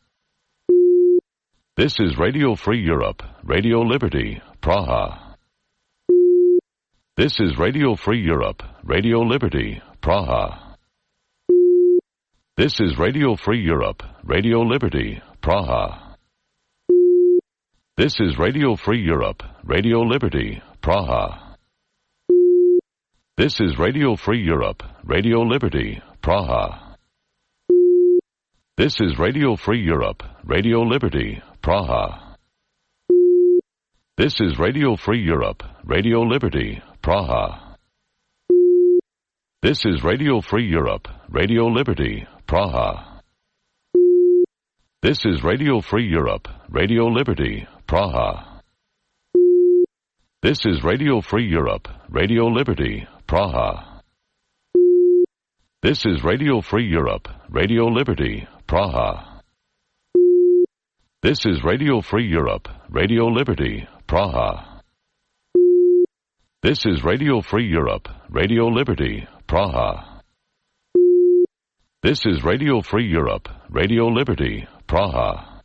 This is Radio Free Europe, Radio Liberty, Praha. This is Radio Free Europe, Radio Liberty, Praha. This is Radio Free Europe, Radio Liberty, Praha. This is Radio Free Europe, Radio Liberty, Praha. This is Radio Free Europe, Radio Liberty, Praha. This is Radio Free Europe, Radio Liberty, Praha. This is Radio Free Europe, Radio Liberty, Praha. This is Radio Free Europe, Radio Liberty, Praha. This is Radio Free Europe, Radio Liberty, Praha. This is Radio Free Europe, Radio Liberty, Praha. This is Radio Free Europe, Radio Liberty, Praha. This is Radio Free Europe, Radio Liberty, Praha. This is Radio Free Europe, Radio Liberty, Praha. This is Radio Free Europe, Radio Liberty, Praha.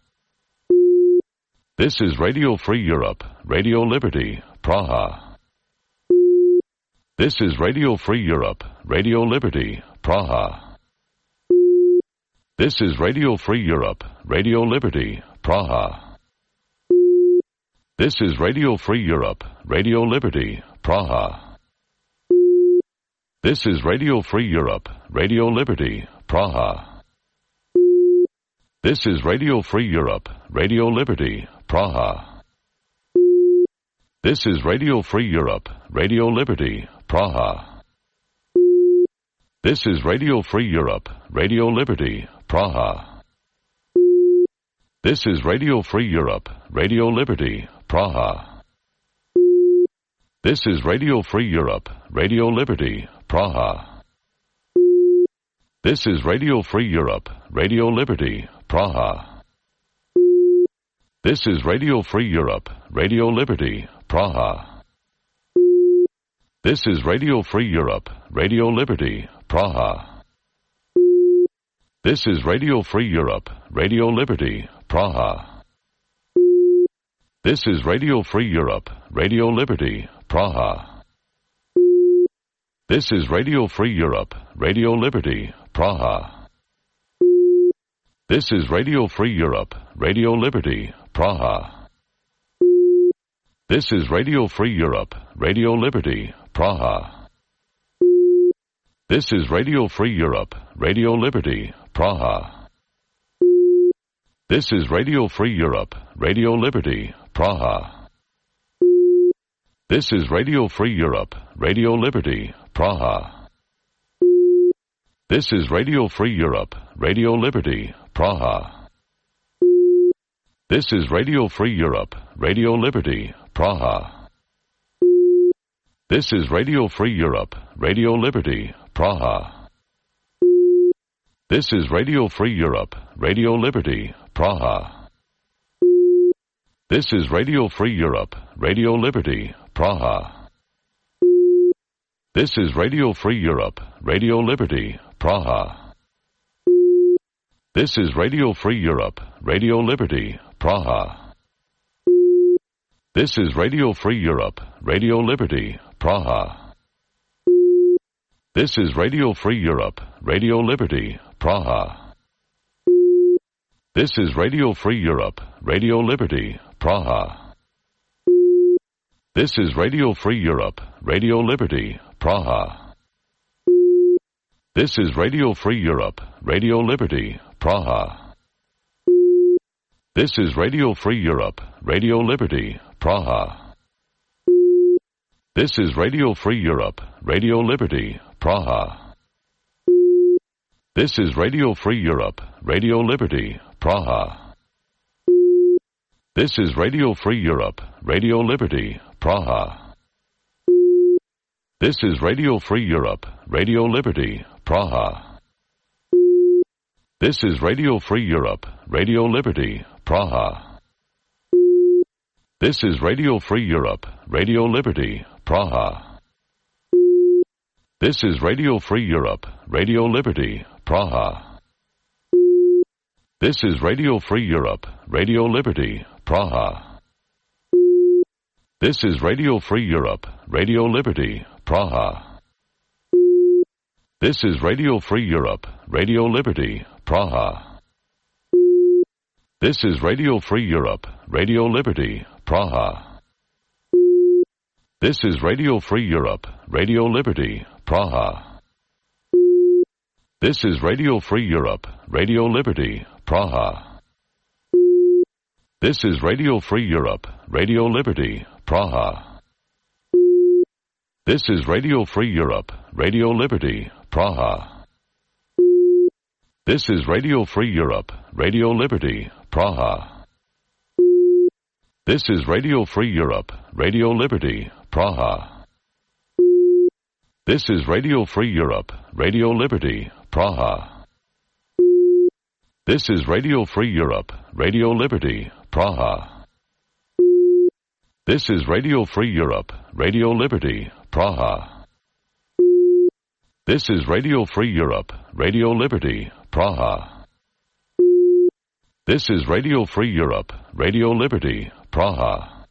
This is Radio Free Europe, Radio Liberty, Praha. This is Radio Free Europe, Radio Liberty, Praha. This is Radio Free Europe, Radio Liberty, Praha. This is Radio Free Europe, Radio Liberty, Praha. This is Radio Free Europe, Radio Liberty, Praha. This is Radio Free Europe, Radio Liberty, Praha. This is Radio Free Europe, Radio Liberty, Praha. This is Radio Free Europe, Radio Liberty, Praha. This is Radio Free Europe, Radio Liberty, Praha. This is Radio Free Europe, Radio Liberty, Praha. This is Radio Free Europe, Radio Liberty, Praha. This is Radio Free Europe, Radio Liberty, Praha. This is Radio Free Europe, Radio Liberty, Praha. This is Radio Free Europe, Radio Liberty, Praha. This is Radio Free Europe, Radio Liberty, Praha. This is Radio Free Europe, Radio Liberty, Praha. This is Radio Free Europe, Radio Liberty, Praha. This is Radio Free Europe, Radio Liberty, Praha. This is Radio Free Europe, Radio Liberty, Praha. This is Radio Free Europe, Radio Liberty, Praha. This is Radio Free Europe, Radio Liberty, Praha. This is Radio Free Europe, Radio Liberty, Praha. This is Radio Free Europe, Radio Liberty, Praha. This is Radio Free Europe, Radio Liberty, Praha. This is Radio Free Europe, Radio Liberty, Praha. This is Radio Free Europe, Radio Liberty, Praha. This is Radio Free Europe, Radio Liberty, Praha. This is Radio Free Europe, Radio Liberty, Praha. This is Radio Free Europe, Radio Liberty, Praha. This is Radio Free Europe, Radio Liberty, Praha. This is Radio Free Europe, Radio Liberty, Praha. This is Radio Free Europe, Radio Liberty, Praha. This is Radio Free Europe, Radio Liberty, Praha. This is Radio Free Europe, Radio Liberty, Praha. This is Radio Free Europe, Radio Liberty, Praha. This is Radio Free Europe, Radio Liberty, Praha. This is Radio Free Europe, Radio Liberty, Praha. This is Radio Free Europe, Radio Liberty, Praha. This is Radio Free Europe, Radio Liberty, Praha. This is Radio Free Europe, Radio Liberty, Praha. This is Radio Free Europe, Radio Liberty, Praha. This is Radio Free Europe, Radio Liberty, Praha. This is Radio Free Europe, Radio Liberty, Praha. This is Radio Free Europe, Radio Liberty, Praha. This is Radio Free Europe, Radio Liberty, Praha. This is Radio Free Europe, Radio Liberty, Praha. This is Radio Free Europe, Radio Liberty, Praha. This is Radio Free Europe, Radio Liberty, Praha. This is Radio Free Europe, Radio Liberty, Praha. This is Radio Free Europe, Radio Liberty, Praha. This is Radio Free Europe, Radio Liberty, Praha. This is Radio Free Europe, Radio Liberty, Praha. This is Radio Free Europe, Radio Liberty, Praha. This is Radio Free Europe, Radio Liberty, Praha. This is Radio Free Europe, Radio Liberty, Praha. This is Radio Free Europe, Radio Liberty, Praha.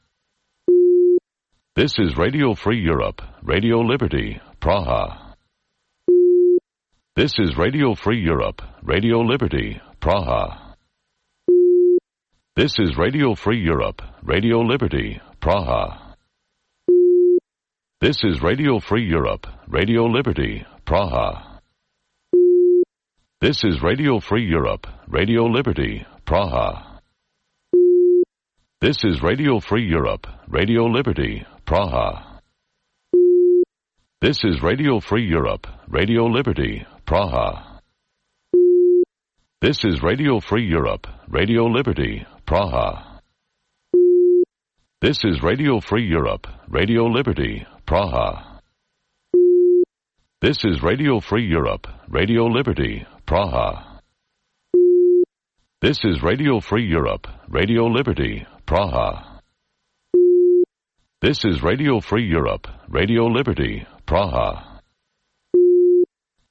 This is Radio Free Europe, Radio Liberty, Praha. This is Radio Free Europe, Radio Liberty, Praha. This is Radio Free Europe, Radio Liberty, Praha. This is Radio Free Europe, Radio Liberty, Praha. This is Radio Free Europe, Radio Liberty, Praha. This is Radio Free Europe, Radio Liberty, Praha. This is Radio Free Europe, Radio Liberty, Praha. This is Radio Free Europe, Radio Liberty, Praha. This is Radio Free Europe, Radio Liberty, Praha. This is Radio Free Europe, Radio Liberty, Praha. This is Radio Free Europe, Radio Liberty, Praha. This is Radio Free Europe, Radio Liberty, Praha.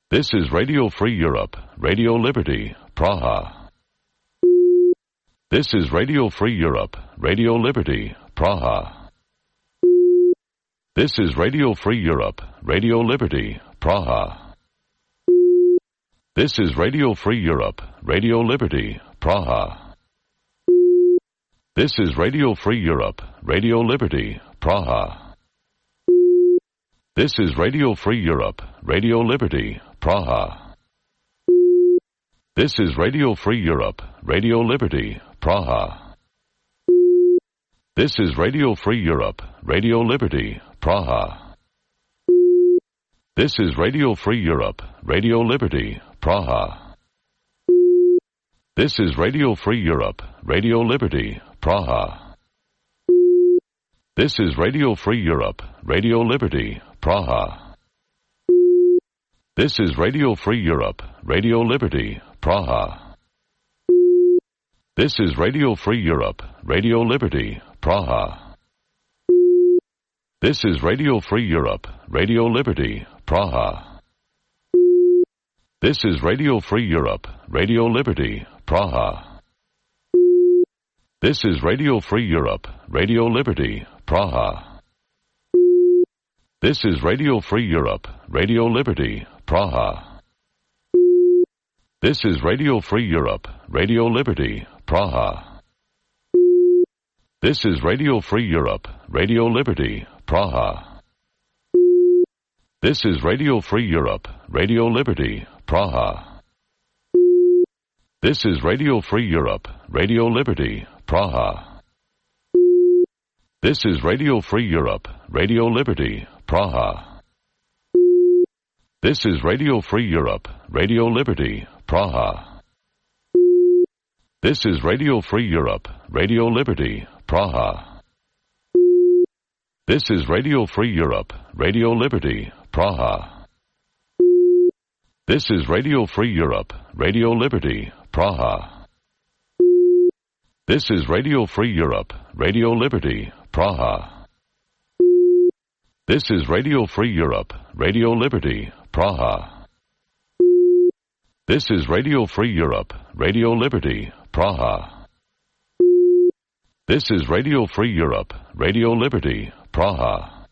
This is Radio Free Europe, Radio Liberty, Praha. This is Radio Free Europe, Radio Liberty, Praha. This is Radio Free Europe, Radio Liberty, Praha. This is Radio Free Europe, Radio Liberty, Praha. This is Radio Free Europe, Radio Liberty, Praha. This is Radio Free Europe, Radio Liberty, Praha. This is Radio Free Europe, Radio Liberty, Praha. This is Radio Free Europe, Radio Liberty, Praha. This is Radio Free Europe, Radio Liberty, Praha. This is Radio Free Europe, Radio Liberty, Praha. This is Radio Free Europe, Radio Liberty, Praha. This is Radio Free Europe, Radio Liberty, Praha. This is Radio Free Europe, Radio Liberty, Praha. This is Radio Free Europe, Radio Liberty, Praha. This is Radio Free Europe, Radio Liberty, Praha. This is Radio Free Europe, Radio Liberty, Praha. This is Radio Free Europe, Radio Liberty, Praha. This is Radio Free Europe, Radio Liberty, Praha. This is Radio Free Europe, Radio Liberty, Praha. This is Radio Free Europe, Radio Liberty, Praha. This is Radio Free Europe, Radio Liberty, Praha. This is Radio Free Europe, Radio Liberty, Praha. This is Radio Free Europe, Radio Liberty, Praha. This is Radio Free Europe, Radio Liberty, Praha. This is Radio Free Europe, Radio Liberty, Praha. This is Radio Free Europe, Radio Liberty, Praha. This is Radio Free Europe, Radio Liberty, Praha. This is Radio Free Europe, Radio Liberty, Praha. This is Radio Free Europe, Radio Liberty, Praha. This is Radio Free Europe, Radio Liberty, Praha.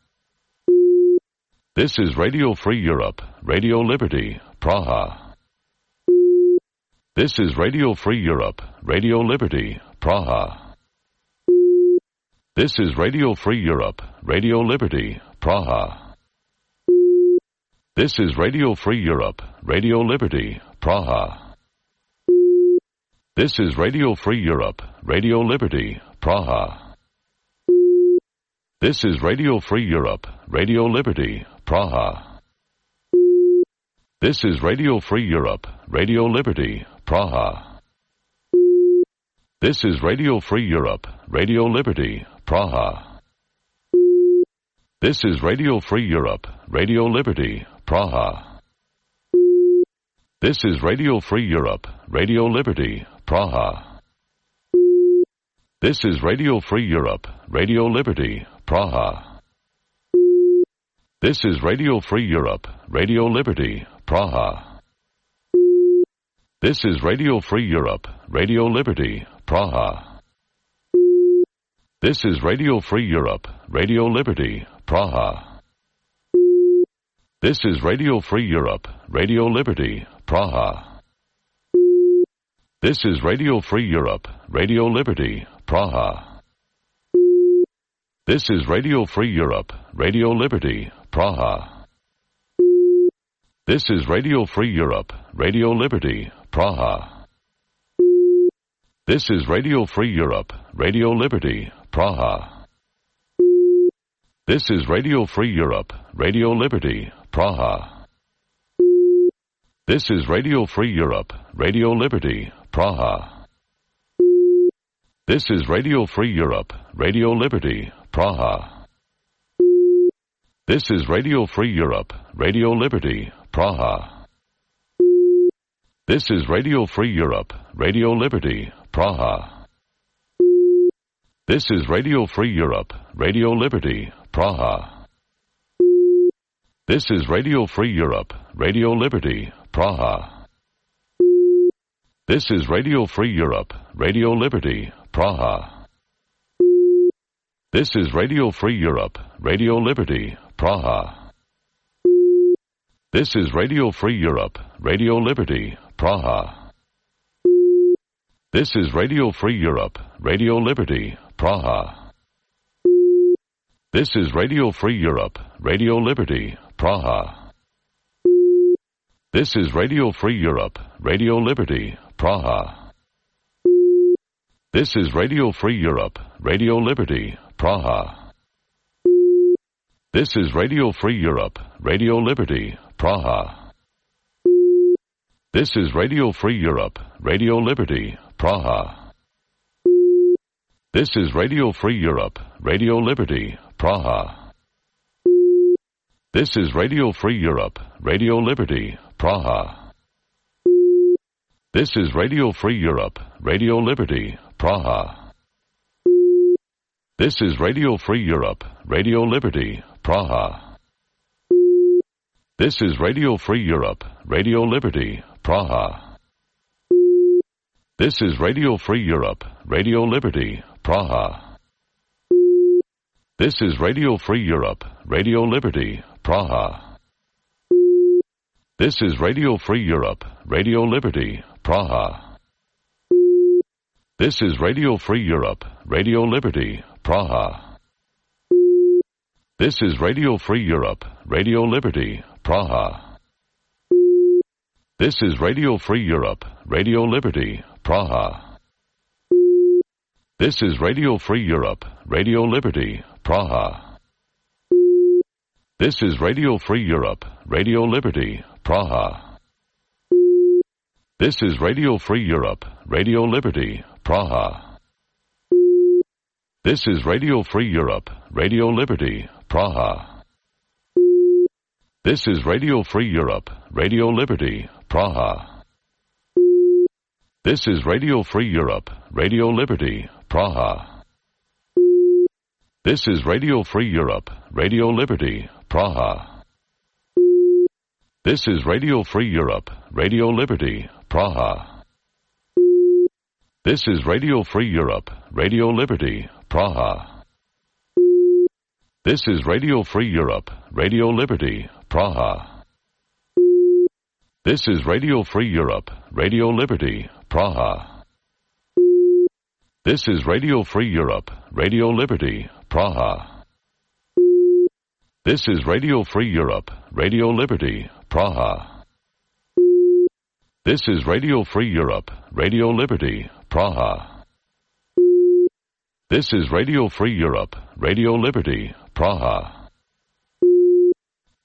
This is Radio Free Europe, Radio Liberty, Praha. This is Radio Free Europe, Radio Liberty, Praha. This is Radio Free Europe, Radio Liberty, Praha. This is Radio Free Europe, Radio Liberty, Praha. This is Radio Free Europe, Radio Liberty, Praha. This is Radio Free Europe, Radio Liberty, Praha. This is Radio Free Europe, Radio Liberty, Praha. This is Radio Free Europe, Radio Liberty, Praha. This is Radio Free Europe, Radio Liberty, Praha. This is Radio Free Europe, Radio Liberty, Praha. This is Radio Free Europe, Radio Liberty, Praha. This is Radio Free Europe, Radio Liberty, Praha. This is Radio Free Europe, Radio Liberty, Praha. This is Radio Free Europe, Radio Liberty, Praha. This is Radio Free Europe, Radio Liberty, Praha. This is Radio Free Europe, Radio Liberty, Praha. This is Radio Free Europe, Radio Liberty, Praha. This is Radio Free Europe, Radio Liberty, Praha. This is Radio Free Europe, Radio Liberty, Praha. This is Radio Free Europe, Radio Liberty, Praha. This is Radio Free Europe, Radio Liberty, Praha. This is Radio Free Europe, Radio Liberty, Praha. This is Radio Free Europe, Radio Liberty, Praha. This is Radio Free Europe, Radio Liberty, Praha. This is Radio Free Europe, Radio Liberty, Praha. This is Radio Free Europe, Radio Liberty, Praha. This is Radio Free Europe, Radio Liberty, Praha. This is Radio Free Europe, Radio Liberty, Praha. This is Radio Free Europe, Radio Liberty, Praha. This is Radio Free Europe, Radio Liberty, Praha. This is Radio Free Europe, Radio Liberty, Praha. This is Radio Free Europe, Radio Liberty, Praha. This is Radio Free Europe, Radio Liberty, Praha. This is Radio Free Europe, Radio Liberty, Praha. This is Radio Free Europe, Radio Liberty, Praha. This is Radio Free Europe, Radio Liberty, Praha. This is Radio Free Europe, Radio Liberty, Praha. This is Radio Free Europe, Radio Liberty, Praha. This is Radio Free Europe, Radio Liberty, Praha. This is Radio Free Europe, Radio Liberty, Praha. This is Radio Free Europe, Radio Liberty, Praha. This is Radio Free Europe, Radio Liberty, Praha. This is Radio Free Europe, Radio Liberty, Praha. This is Radio Free Europe, Radio Liberty, Praha. This is Radio Free Europe, Radio Liberty, Praha. This is Radio Free Europe, Radio Liberty, Praha. This is Radio Free Europe, Radio Liberty, Praha. This is Radio Free Europe, Radio Liberty, Praha. This is Radio Free Europe, Radio Liberty, Praha. This is Radio Free Europe, Radio Liberty, Praha. This is Radio Free Europe, Radio Liberty, Praha. This is Radio Free Europe, Radio Liberty, Praha. This is Radio Free Europe, Radio Liberty, Praha. This is Radio Free Europe, Radio Liberty, Praha. This is Radio Free Europe, Radio Liberty, Praha. This is Radio Free Europe, Radio Liberty, Praha. This is Radio Free Europe, Radio Liberty, Praha. This is Radio Free Europe, Radio Liberty, Praha. This is Radio Free Europe, Radio Liberty, Praha. This is Radio Free Europe, Radio Liberty, Praha. This is Radio Free Europe, Radio Liberty, Praha.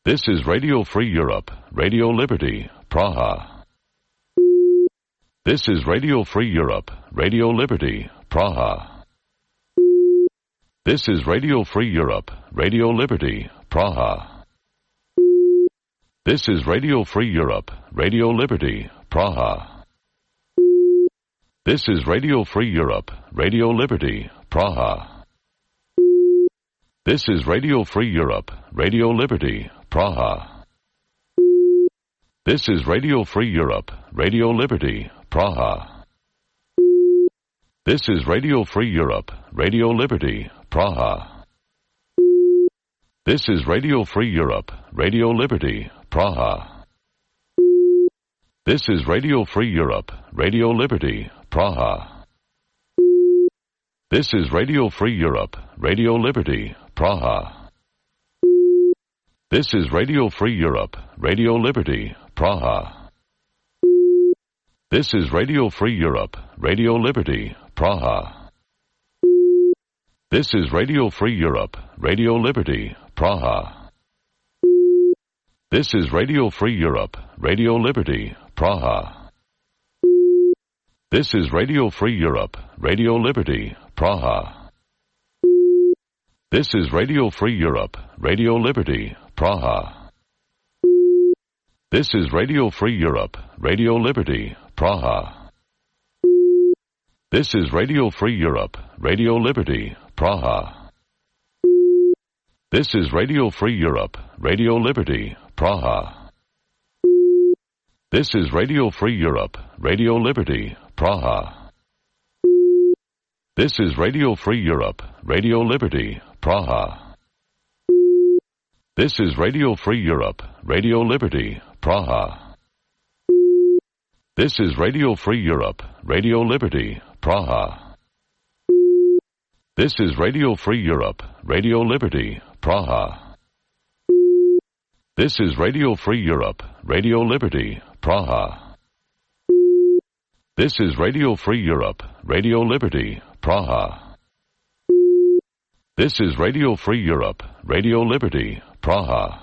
This is Radio Free Europe, Radio Liberty, Praha. This is Radio Free Europe, Radio Liberty, Praha. This is Radio Free Europe, Radio Liberty, Praha. This is Radio Free Europe, Radio Liberty, Praha. This is Radio Free Europe, Radio Liberty, Praha. This is Radio Free Europe, Radio Liberty, Praha. This is Radio Free Europe, Radio Liberty, Praha. This is Radio Free Europe, Radio Liberty, Praha. This is Radio Free Europe, Radio Liberty, Praha. This is Radio Free Europe, Radio Liberty, Praha. This is Radio Free Europe, Radio Liberty, Praha. This is Radio Free Europe, Radio Liberty, Praha. This is Radio Free Europe, Radio Liberty, Praha. This is Radio Free Europe, Radio Liberty, Praha. This is Radio Free Europe, Radio Liberty, Praha. This is Radio Free Europe, Radio Liberty, Praha. This is Radio Free Europe, Radio Liberty, Praha. This is Radio Free Europe, Radio Liberty, Praha. This is Radio Free Europe, Radio Liberty, Praha. This is Radio Free Europe, Radio Liberty, Praha. This is Radio Free Europe, Radio Liberty, Praha. This is Radio Free Europe, Radio Liberty, Praha. This is Radio Free Europe, Radio Liberty, Praha. This is Radio Free Europe, Radio Liberty, Praha. This is Radio Free Europe, Radio Liberty, Praha. This is Radio Free Europe, Radio Liberty, Praha. This is Radio Free Europe, Radio Liberty, Praha.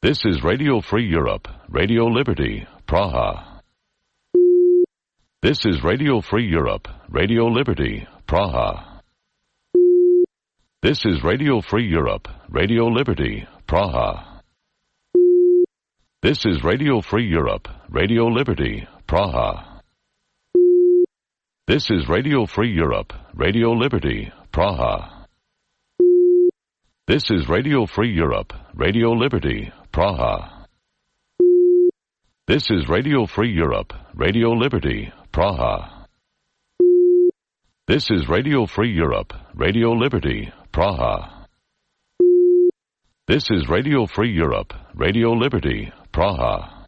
This is Radio Free Europe, Radio Liberty, Praha. This is Radio Free Europe, Radio Liberty, Praha. This is Radio Free Europe, Radio Liberty, Praha. This is Radio Free Europe, Radio Liberty, Praha. This is Radio Free Europe, Radio Liberty, Praha. This is Radio Free Europe, Radio Liberty, Praha. This is Radio Free Europe, Radio Liberty, Praha. This is Radio Free Europe, Radio Liberty, Praha. This is Radio Free Europe, Radio Liberty, Praha. This is Radio Free Europe, Radio Liberty, Praha.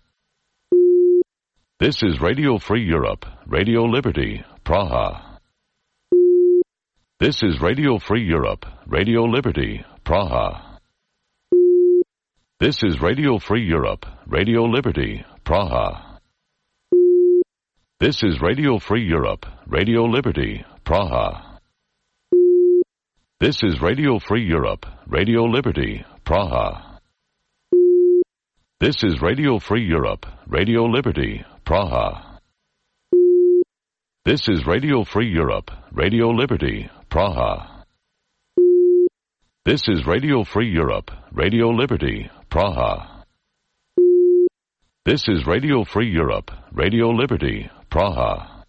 This is Radio Free Europe, Radio Liberty, Praha. This is Radio Free Europe, Radio Liberty, Praha. This is Radio Free Europe, Radio Liberty, Praha. This is Radio Free Europe, Radio Liberty, Praha. This is Radio Free Europe, Radio Liberty, Praha. This is Radio Free Europe, Radio Liberty, Praha. This is Radio Free Europe, Radio Liberty, Praha. This is Radio Free Europe, Radio Liberty, Praha. This is Radio Free Europe, Radio Liberty, Praha.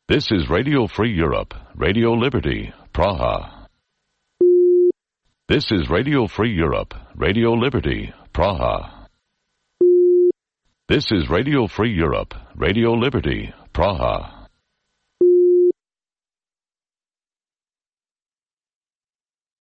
This is Radio Free Europe, Radio Liberty, Praha. This is Radio Free Europe, Radio Liberty, Praha. This is Radio Free Europe, Radio Liberty, Praha.